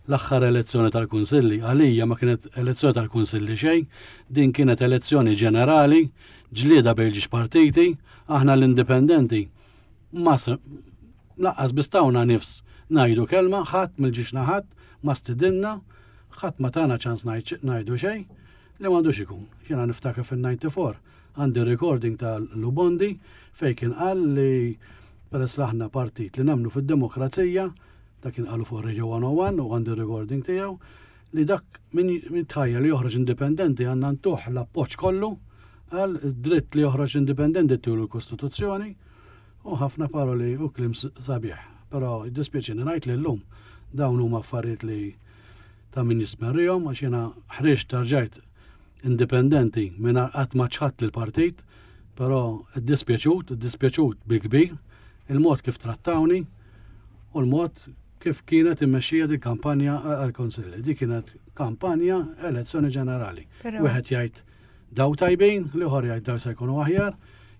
L-aħħar elezzjoni tal-kunsilli għalija ma kienet elezzjoni tal-kunsilli xejn, din kienet elezzjoni ġenerali, ġlieda bejn ġiex partiti, aħna l-indipendenti ma lanqas biss tawna nifs ngħidu kelma, ħadd mill-ġiex naħat ma stidinna, ħadd ma tana ċans ngħidu xejn li m'għandux ikun. Jiena niftakar fil-disgħa u disgħin għandi recording ta' Lou Bondi fej kien qal li peress li aħna partit li nemmnu fid-demokrazija, dak kien qalu fuq Radio one oh one u għandi recording tiegħu li dak min tħajja li joħroġ indipendenti għandna ntuh l-appoġġ kollu, għal dritt li joħroġ indipendenti tul il-Kostituzzjoni u ħafna paroli u kliem sabiħ. Però dispjaċini ngħid li llum dawn huma affarijiet li ta' min jismerrihom għax jiena ħriġt tarġajt indipendenti minn qatt ma ċħadt lill-partit, però dispjaċut, dispjaċut bil-kbir, il-mod kif trattawni u l-mod kif kienet immexxija di kampanja għal-Konsilli. Di kienet kampanja elezzjoni ġenerali. Wieħed jgħid daw tajbin, l-ieħor jgħid daw se jkunu aħjar.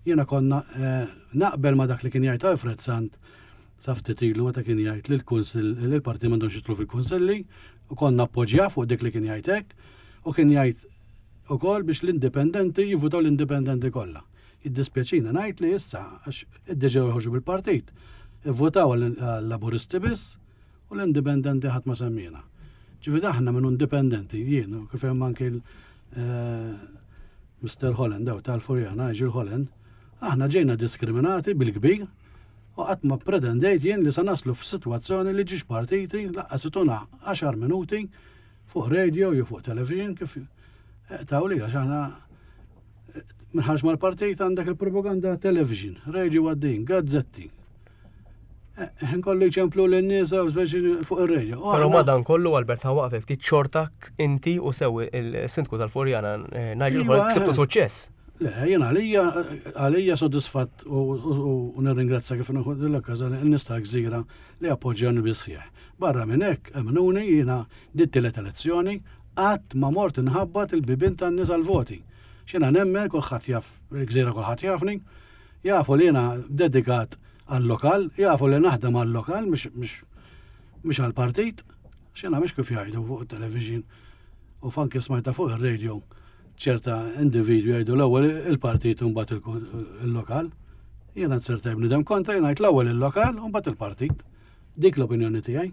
Jiena konna eh, naqbel ma dak li kien jgħid Alfred Sant sa ftit ilu meta kien jgħid li l-kunsill li l-parti m'għandhomx jidħlu fil-kunsilli u konna appoġġja fuq dik li kien jgħid hekk u kien jgħid ukoll biex l-indipendenti jivvutaw l-indipendenti kollha. Jiddispjaċina ngħid li issa għax iddeġew joħorġu bil-partit. Ivvutaw għall-Laburisti biss u l-indipendenti ħadd ma semmina. Ġifieri aħna minn indipendenti jien u kif hemm anki Mister Holland daw tal-Furjana, Nigel Holland, aħna ġejna diskriminati bil-kbir u qatt ma pretendejt jien li sa naslu f'sitwazzjoni li ġiex partiti lanqas ituna għaxar minuti fuq radio jew fuq television kif tawli għax aħna minħarġ mal-partit għandek il-propaganda television, radio għaddin, gazzetti. Ħin kollu jċemplu l-nies u speċi fuq ir-radio. U Però aħna- madan kollu Albert ħa waqfek ftit, xorta inti u sew il-sindku tal-Furjana eh, Nigel Iva, Holland ksibtu eh. suċċess. Le, jena għalija, għalija soddisfatt u, u, u nirringrazzja kif nieħu l-okkażjoni n-nies ta' Gżira li appoġġjani bisħieħ. Barra minn hekk, emnuni jiena dit tielet elezzjoni qatt ma mort inħabbat il-bibien tan-nies għal-voti. X'jiena nemmen kulħadd jaf, il-Gżira kulħadd jafni, jafu li jiena dedikat għal-lokal, jafu li naħdem għal-lokal, mhux mhux mhux għal-partit, x'jiena mhux kif jgħidu fuq il-television u fanki smajta fuq il-radio ċerta individwi jgħidu l-ewwel il-partit u mbagħad il-lokal. Jiena nserta bnidem kontra, jiena ngħid l-ewwel il-lokal u mbagħad il-partit. Dik l-opinjoni tiegħi.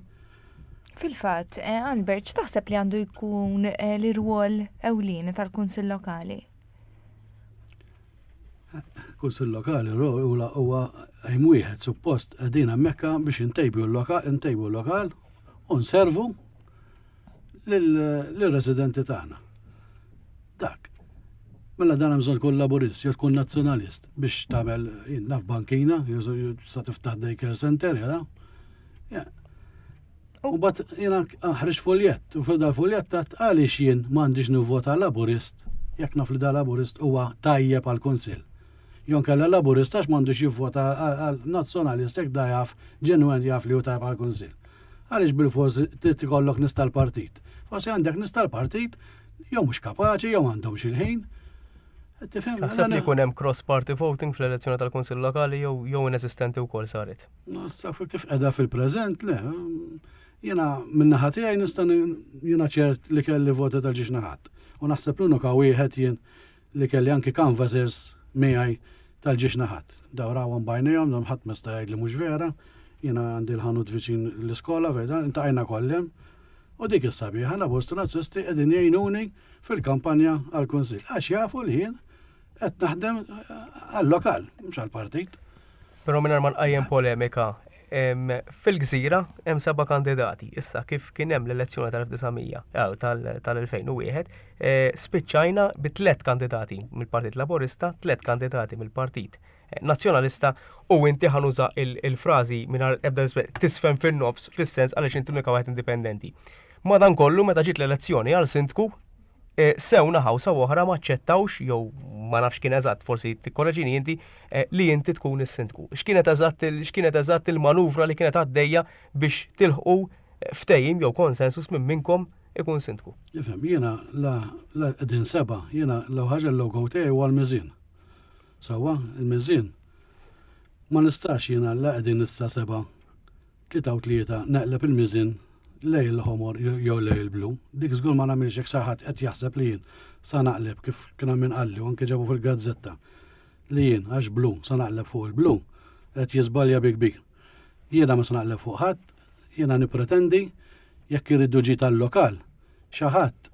Fil-fatt, eh, Albert, x'taħseb li għandu jkun eh, l-irwol ewlieni tal-Kunsill Lokali? Kunsill lokali huwa huwa hemm wieħed suppost qegħdin hemmhekk biex intejbu l-lokal, intejbu l-lokal u nservu lill-residenti tagħna. Dak. Mela dan hemm bżonn tkun laburist jew tkun nazzjonalist biex tagħmel jien naf bankina, jew sa tiftaħ daycare center, ja. Ja. U bat jiena ħriġ fuljett, u fil dal-fuljett ta' għaliex jien m'għandix nivvota laburist jekk naf li da laburist huwa tajjeb għal kunsill. Jon kella laburist għax m'għandux jivvota għal nazzjonalist jekk da jaf ġenwen jaf li hu tajjeb għal kunsill. Għaliex bil-fors trid ikollok nies tal-partit? Forsi għandek nies tal-partit jew mhux kapaċi jew għandhom il-ħin. Taħseb li jkun hemm cross-party voting fl-elezzjoni tal-Kunsill Lokali jew jew inesistenti wkoll saret? Kif qiegħda fil-preżent, le. Jiena min-naħa tiegħi nista' jiena ċert li kelli voti tal-ġiex naħat. U naħseb l-unika wieħed jien li kelli anki canvassers miegħi tal-ġiex naħat. Daw rawhom b'għajnejhom, dawn ħadd ma jista' jgħid li mhux vera. Jiena għandi l-ħanut viċin l-iskola fejn iltqajna kollha. U dik is-sabiħa Laburisti Nazzjonalisti qegħdin jgħinuni fil-kampanja għall-Kunsill. Għax jafu li jien qed naħdem għal-lokal, mhux għall-partit. Però mingħajr ma nqajjem polemika, fil-Gżira hemm seba' kandidati. Issa kif kien hemm l-elezzjoni tal-elf disa' mija tal-elfejn u wieħed, eh, spiċċajna bi tliet kandidati mill-Partit Laburista, tliet kandidati mill-Partit Nazzjonalista u inti, ħa nuża il-frażi mingħajr ebda tisfen fin-nofs, fis-sens għaliex inti l-unika wieħed indipendenti. Madankollu, meta ġiet l-elezzjoni għal sindku, eh, sew naħa u sew oħra ma aċċettawx, jew ma nafx kien eżatt, forsi tikkoreġini inti, eh, li inti tkun is-sindku. X'kienet eżatt x'kienet eżatt il-manuvra li kienet għaddejja biex tilħqu eh, ftehim jew konsensus minn minnkom ikun sindku? Ifhem, jiena la qegħdin seba', jiena l ħaġa l-logo tiegħi huwa l-miżien. Sewwa, il-miżien. Ma nistax jiena la qegħdin issa seba', tlieta u tlieta, neqleb il-miżien lej il-ħomor jew lej il-blu. Dik żgur ma nagħmilx. Jekk xi ħadd qed jaħseb li jien sa naqleb, kif kien hemm qalli u anke ġabu fil-gazzetta, li jien għax blu sa naqleb fuq il-blu, qed jiżbalja bi kbir. Jiena ma sa naqleb fuq ħadd, jiena nipretendi jekk iridu ġid tal-lokal, xi ħadd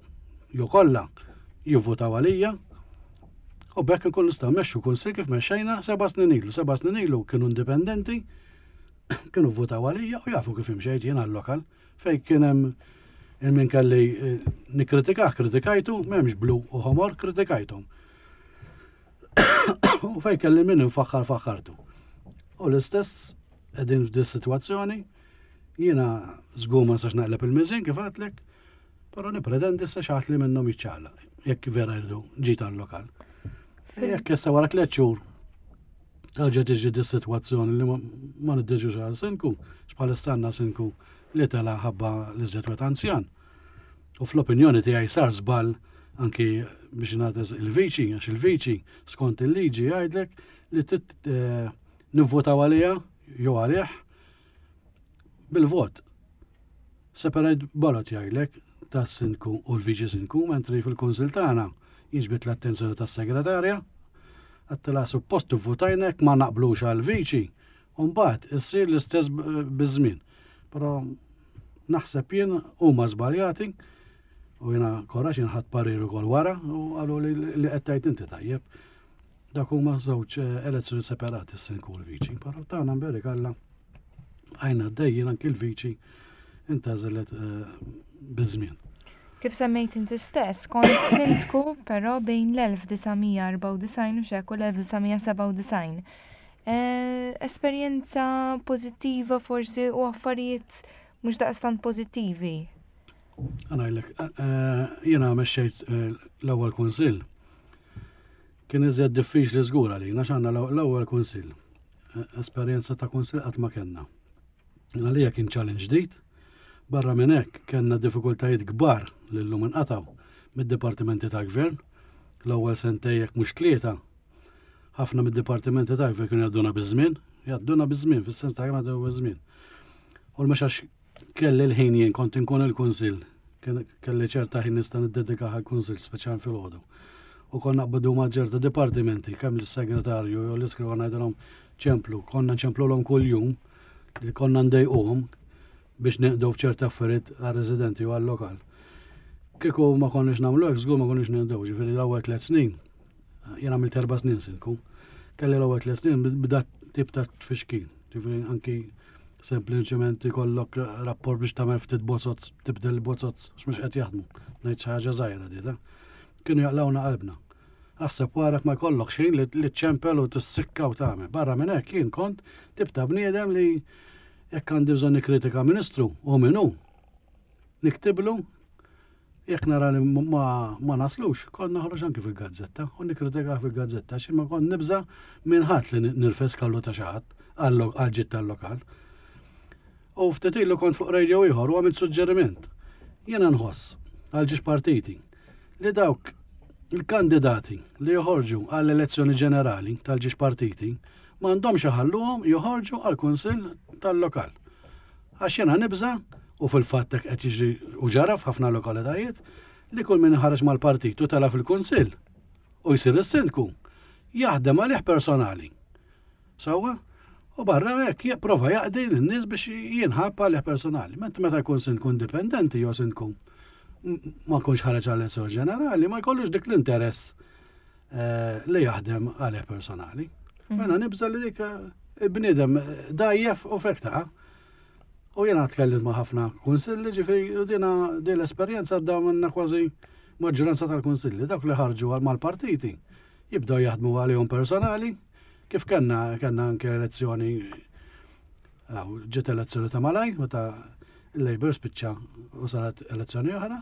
jew kollha jivvotaw għalija u b'hekk nkun nistgħu mmexxu kunsill kif mexxejna seba' snin ilu. Seba' snin ilu kienu indipendenti, kienu votaw għalija u jafu kif imxejt jien għal-lokal, fej kien hemm il-min kelli eh, nikkritikah, kritikajtu, m'hemmx blu u ħomor, kritikajthom. U fej kelli min infaħħar, faħħartu. U l-istess qegħdin f'di situazzjoni, jiena żgur ma nistax naqleb il-miżien kif għedtlek, però nipretendi issa xi ħadd li minnhom jiċċaqlaq, jekk vera jridu ġid tal-lokal. Jekk issa wara tliet xhur terġa' tiġi di situazzjoni li ma niddeġux għal sindku, x'bħalissa għandna sindku li tela ħabba li żied anzjan. U fl-opinjoni tiegħi sar żball anki biex nagħtes il-viċi, għax il-viċi skont il-liġi jgħidlek li eh, nivvotaw għalija jew għalih bil-vot. Separate ballot jgħidlek tas-sindku u l-viċi sindku, mentri fil-kunsil tagħna jiġbit l-attenzjoni tas-segretarja, għedtilha suppost votajnek ma naqblux għal-viċi, u mbagħad issir l-istess biż-żmien. Però naħseb jien huma żbaljati u jiena korax jien ħadt parir ukoll wara u qalu li li qed tgħid inti tajjeb. Dak huma żewġ eh, elezzjoni separati, s-sindku u l-viċi. Però tagħna mberik Alla għajna għaddejjin, anki l-viċi intgħażlet eh, biż-żmien. Kif semmejt inti stess, kont sindku però bejn l-elf disa' mija erbgħa u disgħin u xek u l-elf disa' mija sebgħa u disgħin. Eh, esperjenza pożittiva forsi u affarijiet mhux daqstant pożittivi. Ħa ngħidlek, jiena mexxejt eh, l-ewwel kunsill. Kien iżjed diffiċli żgur għalina għax għandna l-ewwel kunsill. Eh, Esperjenza ta' kunsill qatt ma kellna. Għalija kien challenge ġdid. Barra minn hekk kellna diffikultajiet kbar li llum inqatgħu mid-dipartimenti ta' gvern. L-ewwel sentejn, jekk mhux tlieta, ħafna mid-dipartimenti ta' gvern kienu jgħadduna biż-żmien, jgħadduna biż-żmien, fis-sens ta' jgħadduna biż-żmien. U mhux għax kelli l-ħin jien kont inkun il-kunsill, kelli ċerta ħin nista' niddedika għall-kunsill, speċjal filgħodu. U konna naqbdu ma' ċerta dipartimenti, kemm l-segretarju jew l-iskrivan, ngħidilhom ċemplu, konna nċemplulhom kuljum, li konna ndejquhom biex neqdu f'ċerta affarijiet għar-residenti u għal-lokal. Kieku ma konniex nagħmlu hekk, żgur ma konniex neqdew, ġifieri l-ewwel tliet snin, jien għamilt erba' snin sindku, kelli l-ewwel tliet snin bda tip ta' tfixkil, ġifieri anki sempliċement ikollok rapport biex tagħmel ftit bozzoz, tibdel bozzoz, x'mhux qed jaħdmu, ngħid xi ħaġa żgħira di ta' kienu jaqlawna qalbna. Aħseb warak ma jkollok xejn li ċempel u tissikka u tagħmel. Barra minn hekk jien kont tip ta' bniedem li jekk għandi bżonn nikkritika ministru u minnu, niktiblu, jekk nara li ma, ma naslux, kont naħroġ anki fil-gazzetta u nikkritika fil-gazzetta, xi ma kont nibża minn ħadd li nirfes kallu ta' xi ħadd għal-ġid tal-lokal. U ftit ilu kont fuq radio ieħor u għamilt suġġeriment. Jiena nħoss għal ġiex partiti li dawk Il-kandidati li joħorġu għall-elezzjoni ġenerali tal-ġiex partiti m'għandhomx iħalluhom joħorġu għall-kunsill tal-lokal. Għax jiena nibża, u fil-fatt hekk qed jiġri u ġara f'ħafna lokalitajiet, li kull min ħareġ mal-partit u tela fil-kunsill u jsir is-sindku jaħdem għalih personali. Sewwa? U barra hekk jipprova jaqdi lin-nies biex jinħabb għalih personali. Mentri meta jkun sindku indipendenti jew sindku ma jkunx ħareġ għall-elezzjoni ġenerali, ma jkollux dik l-interess eh, li jaħdem għalih personali. Mhm. Mela nibża li dik eh, il-bniedem dajjef u fekta. U jena tkellimt ma' ħafna kunsilli, ġifieri u dina din l-esperjenza għadda minna kważi maġġoranza tal-kunsilli, dak li ħarġu għal mal-partiti jibdew jaħdmu għalihom personali, kif kellna kellna anke elezzjoni, aw, ġiet elezzjoni ta' malaj, meta il-Labour spiċċa u saret elezzjoni oħra,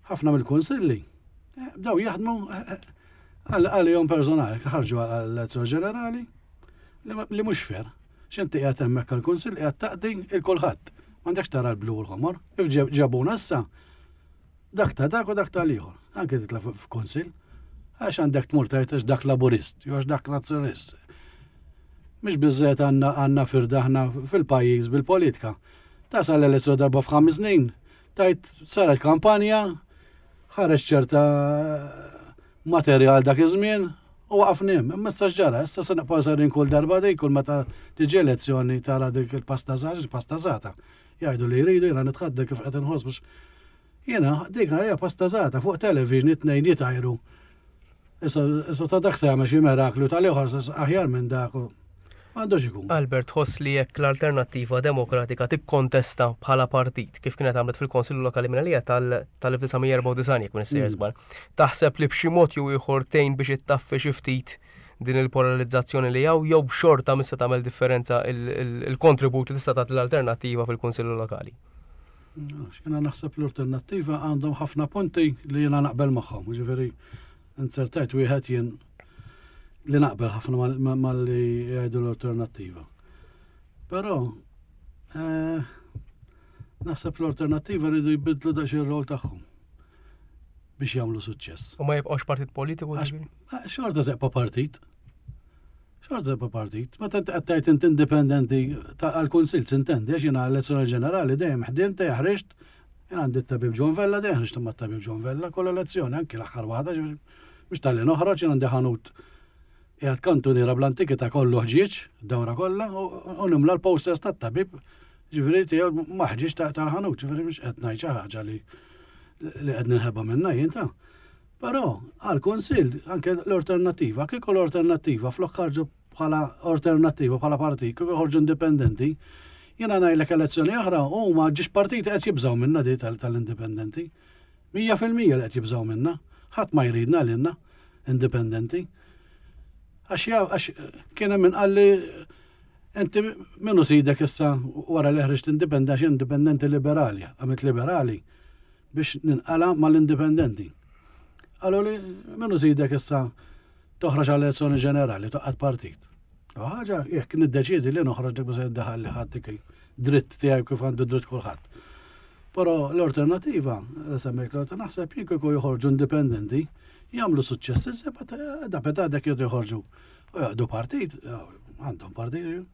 ħafna mill-kunsilli eh, bdew jaħdmu eh, eh, għal- għalihom personali, ħarġu għall-elezzjoni ġenerali li ma- li mhux fair. X'inti qiegħed hemmhekk għall-kunsill qiegħed taqdi il kulħadd. M'għandekx tara l-blu u l-ħomor. Kif ġeb- ġabuna issa, dak ta' dak u dak tal-ieħor. Anke titla' f- f'kunsill. Għax għandek tmur tgħid għax dak laburist, jew għax dak nazzjonalist. Mhix biżżejjed għandna għandna firda aħna fil-pajjiż bil-politika. Tasal l-elezzjoni darba f'ħames snin, tajt saret kampanja, ħareġ ċerta materjal dak iż-żmien u waqafna hemm. Imma issa x'ġara, issa se nibqgħu sejrin kull darba dik, kull meta tiġi elezzjoni tara dik il-pastażat, il-pastażata. Jgħidu li jridu, jiena nitħadda kif qed inħoss biex jiena dik hija pastażata fuq television it-tnejn jitajru. Issa issa ta' dak se jagħmel xi miraklu tal-ieħor se aħjar minn dak u m'għandux ikun. Albert, tħoss li jekk l-Alternattiva Demokratika tikkontesta bħala partit kif kienet għamlet fil-Konsillu Lokali minn tal-elf disa' mija erbgħa u disgħin, jekk minn Mm. żball, taħseb li b'xi mod jew ieħor tgħin biex ittaffi xi ftit din il-polarizzazzjoni li hawn, jew b'xorta mista tagħmel differenza il-kontribut li tista' tagħti l-Alternattiva fil-Kunsillu Lokali? Jiena naħseb l-Alternattiva għandhom ħafna punti li jiena naqbel magħhom, ġifieri insertajt wieħed jien li naqbel ħafna mal- ma- mal-li jgħidu l-Alternattiva. Però eh, naħseb l-Alternattiva rridu jbidlu daqsxejn ir-rol tagħhom biex jagħmlu suċċess. U ma jibqgħux partit politiku, Għax- ġifieri? Ah, xorta zeqpa partit. Xorta zeqpa partit. Meta inti qed tgħid inti indipendenti ta' għall-kunsill sintendi, għax jiena elezzjoni ġenerali dejjem ħdimt, dejjem ħriġt, jien għandi t-tabib John Vella, dejjem ħriġt ma' tabib John Vella kull elezzjoni, anki l-aħħar waħda, ġifieri, biex talli noħroġ, jien għandi ħanut qiegħed kantuniera bl-antikità kollu ħġieġ, dawra kollha, u u nimla l-posters tat-tabib, ġifieri tiegħu ma ħġieġ ta' tal-ħanut, ġifieri mhux qed ngħid xi ħaġa li li qed ninħeba minnha jien ta'. Però għal-kunsill anke l-Alternattiva, kieku l-Alternattiva flok ħarġu bħala Alternattiva bħala partit, kieku ħarġu indipendenti, jiena ngħidlek elezzjoni oħra huma ġiex partiti qed jibżgħu minna di tal- tal-indipendenti. Mija fil-mija li qed jibżgħu minna. Ħadd ma jridna lilna indipendenti. Għax ja, għax kien hemm min qalli inti minnu sidek issa wara li ħriġt indipendenti, għax indipendenti liberali, għamilt liberali biex ninqala mal-indipendenti. Qalu li minnu sidek issa toħroġ għall elezzjoni ġenerali, toqqad partit. U ħaġa, jekk niddeċidi li noħroġ dik biss jiddaħħal li ħadd dik dritt tiegħi kif għandu dritt kulħadd. Però l-Alternattiva, li semmejt l-Alternattiva, naħseb jien kieku joħorġu indipendenti, jagħmlu suċċess iżjed, da peta dak jgħidu joħorġu u jaqdu partit, għandhom partit,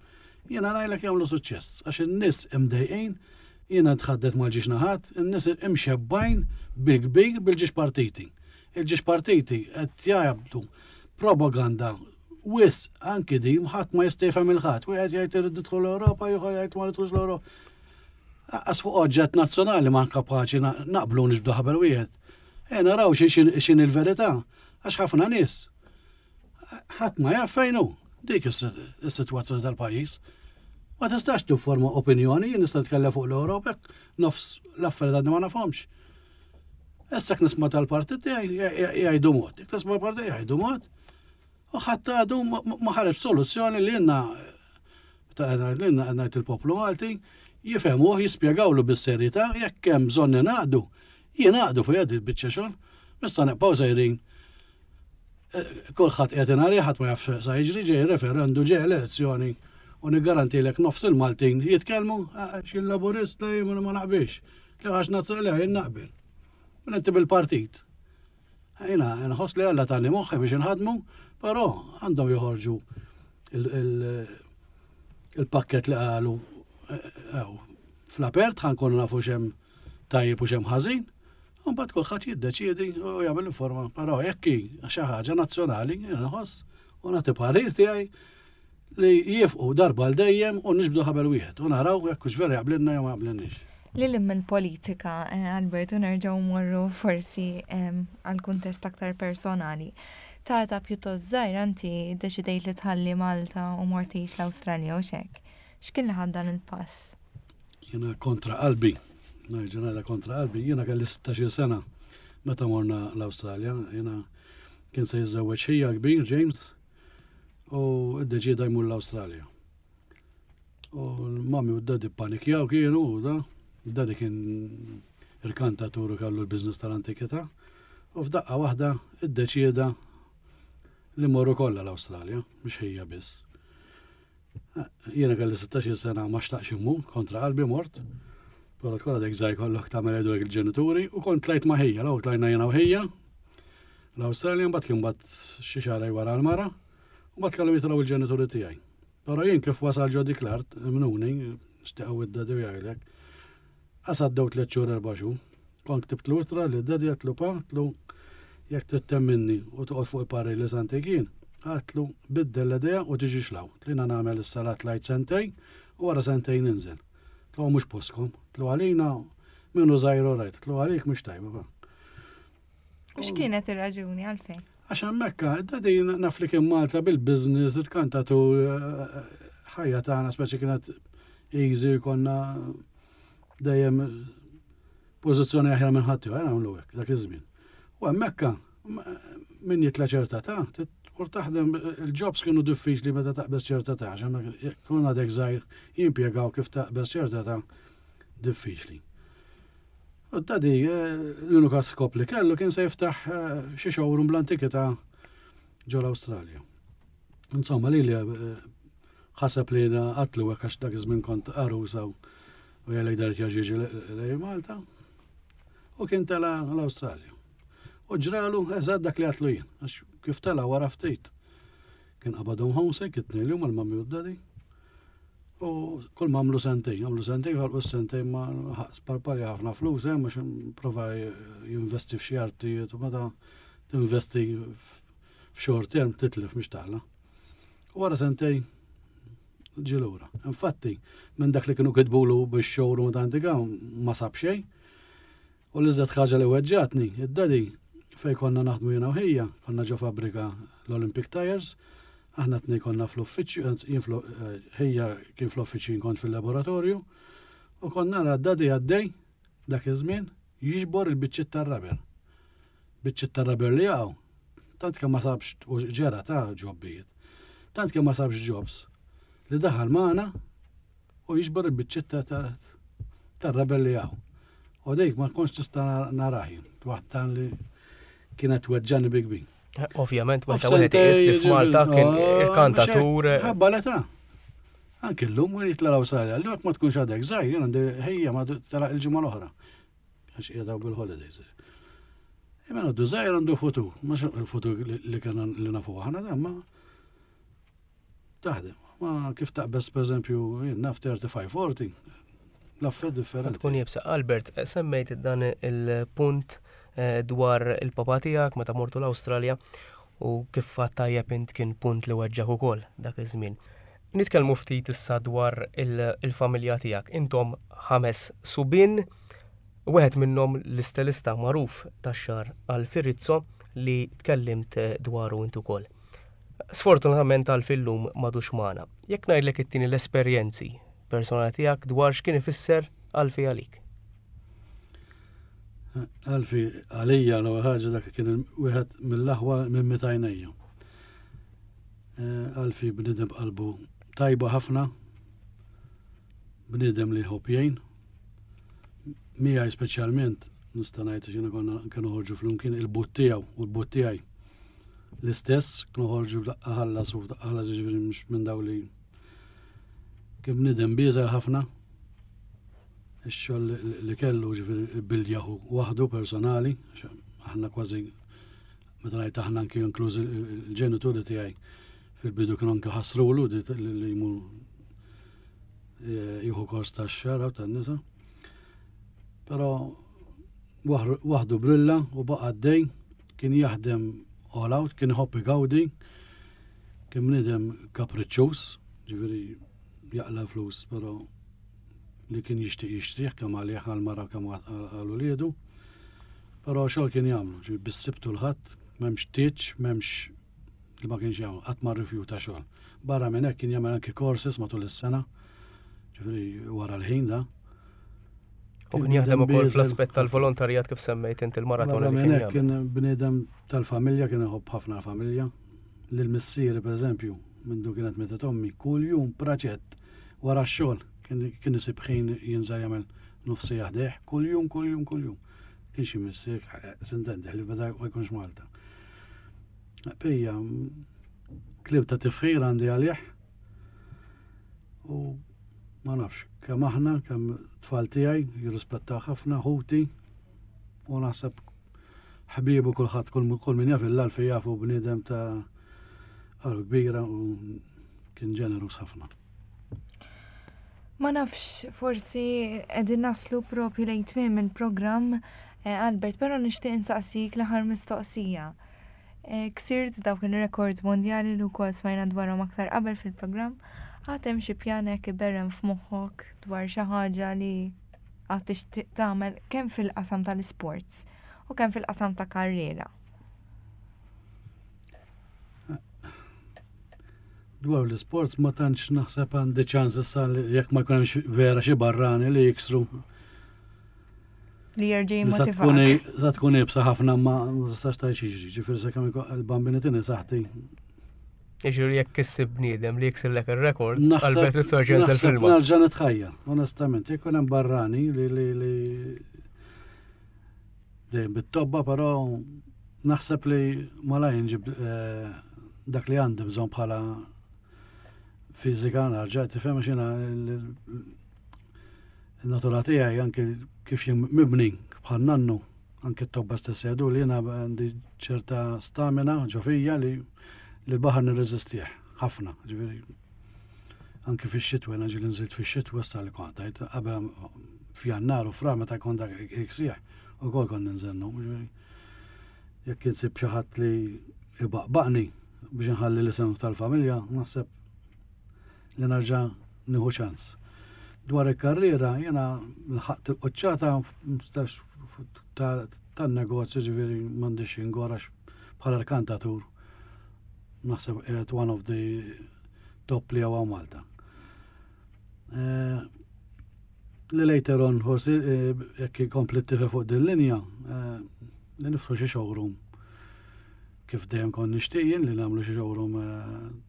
jiena ngħidlek jagħmlu suċċess, għax in-nies imdejqin, jiena tħaddet mal-ġiex naħat, in-nies imxebbajn bil-kbir bil-ġiex partiti. Il-ġiex partiti qed jgħabdu propaganda wis anki di ħadd ma jista' jifhem il-ħadd. Wieħed jgħid irid nidħlu l-Ewropa, ieħor jgħid ma nidħlux l-Ewropa. Għas fuq oġġett nazzjonali ma kapaċi na- naqblu niġbdu ħabel wieħed. E naraw xi- x'in x'in il-verità, għax ħafna nies ħadd ma jaf fejn hu. Dik is-sitwazzjoni tal-pajjiż. Ma tistax tifforma opinjoni, jien nista' nitkellem fuq l-Ewropa, nofs l-affarijiet għadni ma nafhomx. Issa nisma' tal-partit jgħidu mod, jekk tisma' l-partit jgħidu mod, u ħadd għadu ma ħareġ soluzzjoni li jenna li jenna ngħid il-poplu Malti jifhmuh, jispjegawlu bis-serjetà jekk hemm bżonn ingħaqdu, jingħaqdu fuq jgħaddi biċċa xogħol, mista nibqgħu sejrin kulħadd qiegħed ingħari, ħadd ma jaf sa jiġri, ġej referendu, ġej elezzjoni u niggarantilek nofs il-Maltin jitkellmu għax il-Laburist li ma naqbilx, li għax nazzjonali jien naqbel. Minn inti bil-partit. Jiena nħoss li Alla tani moħħi biex inħadmu, però għandhom joħorġu il-pakket li qalu eh, fl-apert ħa nkunu nafu x'hemm tajjeb u x'hemm ħażin, u mbagħad kulħadd jiddeċiedi u jagħmel informa. Però jekk xi ħaġa nazzjonali, nħoss u nagħti parir tiegħi li jifqu darba l dejjem u niġbdu ħabel wieħed u naraw jekk hux vera jaqblilna jew ma jaqblilniex. Lil hinn mill-politika, eh, Alberto, nerġgħu morru forsi għal kuntest aktar personali. Ta' età pjuttost żgħira inti deċidejt li tħalli Malta u mort tgħix l-Awstralja u xek. X'kien li ħad dan il-pass? Jiena kontra qalbi, nerġa' kontra qalbi, jiena kelli sittax-il sena meta morna l-Awstralja, jiena kien se jiżżewweġ ħija kbir, James, u iddeċida jmur l-Awstralja. U l-mami u d-daddy panikjaw kienu, u da, d-daddy kien irkantatur u kellu l-biznis tal-antikità, u f'daqqa waħda iddeċida li morru kollha l-Awstralja, mhux ħija biss. Jiena kelli sittax-il sena, ma xtaqx immur, kontra qalbi mort, però tkun għadek żgħir, kollok tagħmel jgħidulek il-ġenituri, u kont tlajt ma' ħija, l tlajna jiena u ħija l-Awstralja, mbagħad kien bat xi xahar wara l-mara, u mbagħad kellhom jitilgħu il-ġenituri tiegħi. Però jien kif wasal ġo dik l-art, mnuni, xtiqgħu id-daddy u jgħidlek, għaddew tliet xhur, erba' xhur. Kont ktibt l-ittra li d-daddy, għedtlu, "Pa," għedtlu, "jekk trid temminni u toqgħod fuq il-parir li santik jien," għedtlu, "biddel l-idea u tiġix 'l hawn. Tlina nagħmel is-salat lajt sentejn u wara sentejn ninżel. Għedtlu, mhux postkom. Għedtlu, għalina minnu żgħir rajt. Għedtlu, għalik mhux tajba, pa." U x'kienet ir-raġuni għalfejn? Għax hemmhekk, daddy naf li kien Malta bil-business, il-kantatur, ħajja tagħna speċi kienet easy, konna dejjem pożizzjoni aħjar minn ħadd ieħor, nagħmlu hekk dak iż-żmien. U hemmhekk min jitla ċerta età, tmur taħdem, il-jobs kienu diffiċli meta taqbeż ċerta età, għax kun għadek żgħir jimpjegaw kif taqbeż ċerta età diffiċli. U daddy, l-unika skop li kellu kien se jiftaħ eh, xi showroom bl-antikità ġo l-Awstralja. Insomma, li li eh, ħaseb li għedtlu hekk għax dak iż-żmien kont għarusa u jgħalek dar jaġiġi lej Malta. U kien tela l-Awstralja. U ġralu eżatt dak li għedtlu jien, għax kif tela wara ftit. Kien qabadhom homesick, it-tnejn li huma, l-mami u d-daddy. U kull ma għamlu sentejn, għamlu sentejn, għalqu sentejn ma sparpalja ħafna flus, eh, mhux prova jinvesti f'xi artijiet u meta tinvesti f'short term titlef mhux taqla. U wara sentejn ġie lura. Infatti, minn dak li kienu kitbulu biex showroom ta' antika ma sab xejn. U l-iżjed ħaġa li weġġatni, id-daddy fej konna naħdmu jiena u ħija, konna ġo fabbrika l-Olympic Tires, aħna tnej konna fl-uffiċċju, jien eh, ħija kien fl-uffiċċju, jien kont fil-laboratorju, u konna nara d-daddy għaddej dak iż-żmien jiġbor il-biċċiet tar-rubber. Biċċiet tar-rubber li jaqgħu. Tant kemm ma sabx u ġera ta' ġobbijiet. Tant kemm ma sabx jobs li daħal magħna u jiġbor il-biċċiet tar-rubber li jaqgħu. U dik ma kontx tista' narahin, waħda li kienet weġġani bi kbir. Ovvjament, meta wieħed iqis li f'Malta kien il-kantatur. Ħabba l-età. Anke llum u jitla l-Awstralja, l ma tkunx għadek żgħir, jien għandi ħija ma telaq il-ġimgħa l-oħra. Għax qiegħda bil-holidays. Imma għandu żgħir għandu futur, mhux il-futur li kien li nafu aħna da, ma taħdem. Ma kif taqbeż, pereżempju, jien naf tletin, erbgħin, l-affarijiet differenti. Tkun jibsa. Albert, semmejt dan il-punt eh, dwar il-papa tiegħek meta mortu l-Awstralja u kif fatt tajjeb int kien punt li weġġak ukoll dak iż-żmien. Nitkellmu ftit issa dwar il-familja tiegħek. Intom ħames subien, wieħed minnhom l-istilista magħruf tax-xagħar Alfie Rizzo li tkellimt dwaru int ukoll. Sfortunatament Alfie llum m'għadux magħna. Jekk ngħidlek it-tieni l-esperjenzi personali tiegħek dwar x'kien ifisser Alfie għalik. Alfie għalija l ħaġa dak kien wieħed mill-aħwa minn mitajnejja. Eh, Alfie bniedem b'qalbu tajba ħafna, bniedem li jħobb jgħin. Miegħi speċjalment nista' ngħid x'jiena konna kienu ħorġu flimkien, il-but tiegħu u l-but tiegħi. L-istess, kienu ħorġu daqqa ħallas u daqqa ħallas, ġifieri mhux minn daw li kien bniedem bieżel ħafna. Ix-xogħol li kellu, ġifieri bildjahu waħdu personali, aħna kważi Meta ngħid aħna, anki inkluż il-ġenituri tiegħi, fil-bidu kienu anke ħasrulu li jmur eh, jieħu kors tax-xagħar tan-nisa. Però waħdu brilla u baqa' għaddej, kien jaħdem all out, kien iħobb igawdi, kien bniedem kapriċċuż, ġifieri jaqla flus, però li kien jixtieq jixtrih kemm għalih, għal-mara, kemm għal uliedu. Però xogħol kien jagħmlu, ġifieri bis-Sibt u l-Ħadd, m'hemmx tieġ, m'hemmx li ma kienx jagħmel, qatt ma rrifjuta xogħol. Barra minn hekk kien jagħmel anki courses matul is-sena, ġifieri wara l-ħin da. U kien jaħdem ukoll fl-aspett tal-volontarjat, kif semmejt inti il-maratona li kien. Kien bniedem tal-familja, kien iħobb ħafna l-familja. Lil missieri, pereżempju, mindu kienet mietet ommi, kull jum praċett wara x-xogħol kien isib ħin jinżel jagħmel nofs siegħa ħdejh, kull jum, kull jum, kull jum. Kien xi missier, s'intendi, li beda ma jkunx Malta. Pija, kliem ta' tifħir għandi għalih. U ma nafx, kemm aħna, kemm tfal tiegħi jirrispettaw ħafna, ħuti, u naħseb ħbibu kulħadd, kull min jaf l-Alfie jafu bniedem ta' qalb kbira u kien ġenerus ħafna. Ma nafx, forsi qegħdin naslu propju lejn tmiem il-programm, eh, Albert, però nixtieq insaqsik l-aħħar mistoqsija. Eh, ksirt dawk il-rekord mondjali li wkoll smajna dwarhom aktar qabel fil-programm, għad hemm xi pjan hekk iberren f'moħħok dwar xi ħaġa li għad tixtieq tagħmel kemm fil-qasam tal-isports u kemm fil-qasam ta' karriera? Dwar l-sports ma tantx naħseb għandi ċans issa, jekk ma jkunx vera xi barrani li jiksru. Li jerġa' jimmotivak. Sa tkun iebsa ħafna, ma tistax tgħid jiġri, ġifieri sakemm il-Bambin itini saħħti. Jiġri jekk issib bniedem li jiksirlek ir-rekord, Albert Rizzo jerġa' fil-filma. Nerġa' nitħajja, onestament, jekk hemm barrani li li li dejjem bit-tobba, però naħseb li malaj nġib eh, dak li għandi bżonn bħala fizika narġa', tifhem, xina il-natura tiegħi, anke kif jien mibni bħal nannu, anke t-tobba stess jgħidu li jiena għandi ċerta stamina ġo fija li li l-baħar nirreżistih ħafna, ġifieri anke fix-xitwa, jiena ġieli nżilt fix-xitwa sta li kont għajt qabel f'Jannar u Frar meta jkun dak iksieħ ukoll kont ninżel. Ġifieri jekk insib xi ħadd li ibaqbaqni biex nħalli l-isem tal-familja, naħseb li narġa' nieħu ċans. Dwar il-karriera, jena lħaqt il-qoċċata tan-negozju, ġifieri m'għandix ingora bħala rkantatur. Naħseb qiegħed one of the top li hawn Malta. Eh, li later on, forsi, eh, jekk ikompli t-tife fuq din linja, eh, li niftħu xi showroom, kif dejjem kont nixtieq li nagħmlu xi showroom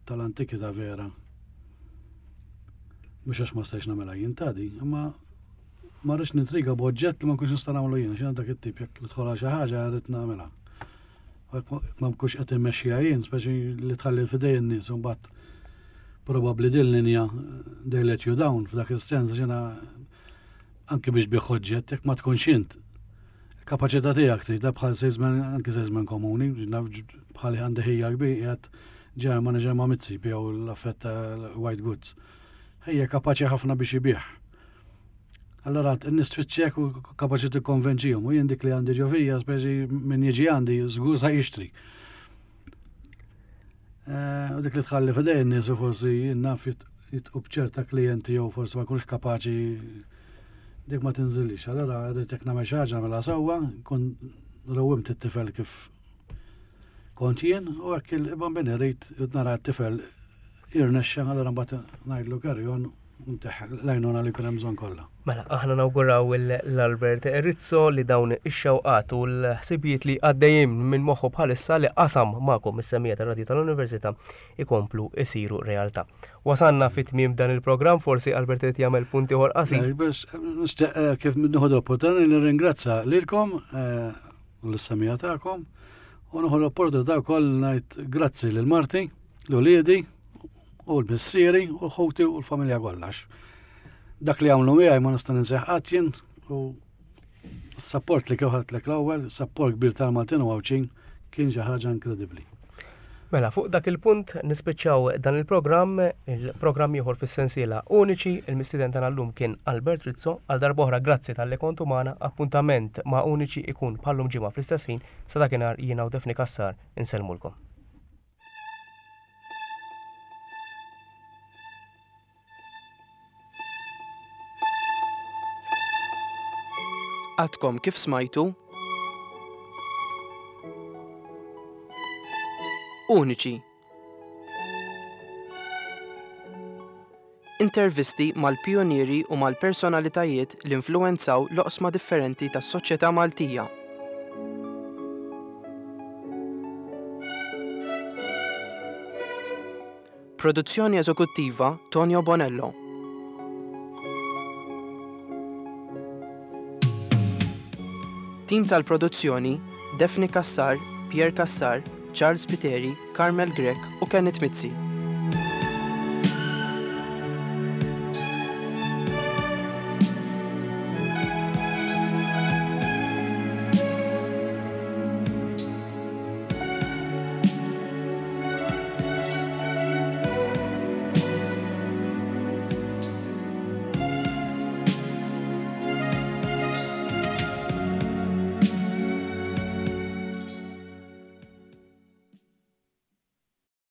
tal-antikità vera. Mhux għax ma stajx nagħmilha jien tadi, imma ma rridx nintriga b'oġġett li ma nkunx nista' nagħmlu jien, x'inhu dak it-tip, jekk nidħol xi ħaġa rrid nagħmilha. Ma nkunx qed immexxiha jien, speċi li tħalli f'idej in-nies, u mbagħad probabbli din linja they let you down f'dak is-sens, ġena anke biex tbigħ oġġett, jekk ma tkunx int kapaċità tiegħek trid bħal salesman, anke salesman komuni, bħal għandi ħija kbir qiegħed general manager ma' Mizzi jew l-affett white goods. Ħija kapaċi ħafna biex ibigħ. Allora, n-nies tfittxek u kapaċi tikkonvenċihom, u jien dik li għandi ġo fija, speċi min jiġi għandi żgur sa jixtri. Eh, u dik li tħalli f'idej n-nies u forsi naf jitqu b'ċerta klijenti jew forsi ma jkunx kapaċi, dik ma tinżilix. Allora rrid jekk nagħmel xi ħaġa mela sewwa, kun rawwimt it-tifel kif kont jien, u hekk il-Bambin irid nara t-tifel jirnexxa, allora mbagħad ngħidlu carry on, l-għajnuna li jkun hemm bżonn kollha. Mela, aħna nawguraw l-Albert Rizzo li dawn ix-xewqat u l-ħsibijiet li għaddejjin minn moħħu bħalissa li qasam magħkom is-semmiegħa tar-radju tal-Università ikomplu isiru realtà. Wasanna fit tmiem dan il-programm, forsi Albert qed jagħmel punti ieħor qasir. Nixtieq eh, kif nieħu l-opportunità li nirringrazzja lilkom eh, u l-semmiegħa tagħkom u nieħu l-opportunità wkoll ngħid grazzi lil marti, l-uliedi u l-missieri u l-ħuti u l-familja kollha. Dak li għamlu miegħi ma nista' ninseħ qatt jien u s-support li kif l-ewwel, support kbir tal-Maltin u Għawdxin Kien xi ħaġa inkredibbli. Mela, fuq dak il-punt nispiċċaw dan il-programm, il-programm ieħor fis-sensiela Uniċi, il-mistieden tagħna llum kien Albert Rizzo, għal darb'oħra grazzi talli kontu magħna, appuntament ma' Uniċi ikun bħallum ġimgħa fl-istess ħin, sa dakinhar jiena u Daphne Cassar insellmulkom. Għadkom kif smajtu Uniċi. Intervisti mal-pionieri u mal-personalitajiet li influwenzaw l-oqsma differenti tas-soċjetà Maltija. Produzzjoni eżekuttiva Tonio Bonello. Tim tal-produzzjoni Daphne Cassar, Pierre Cassar, Charles Piteri, Carmel Grech u Kenneth Mizzi.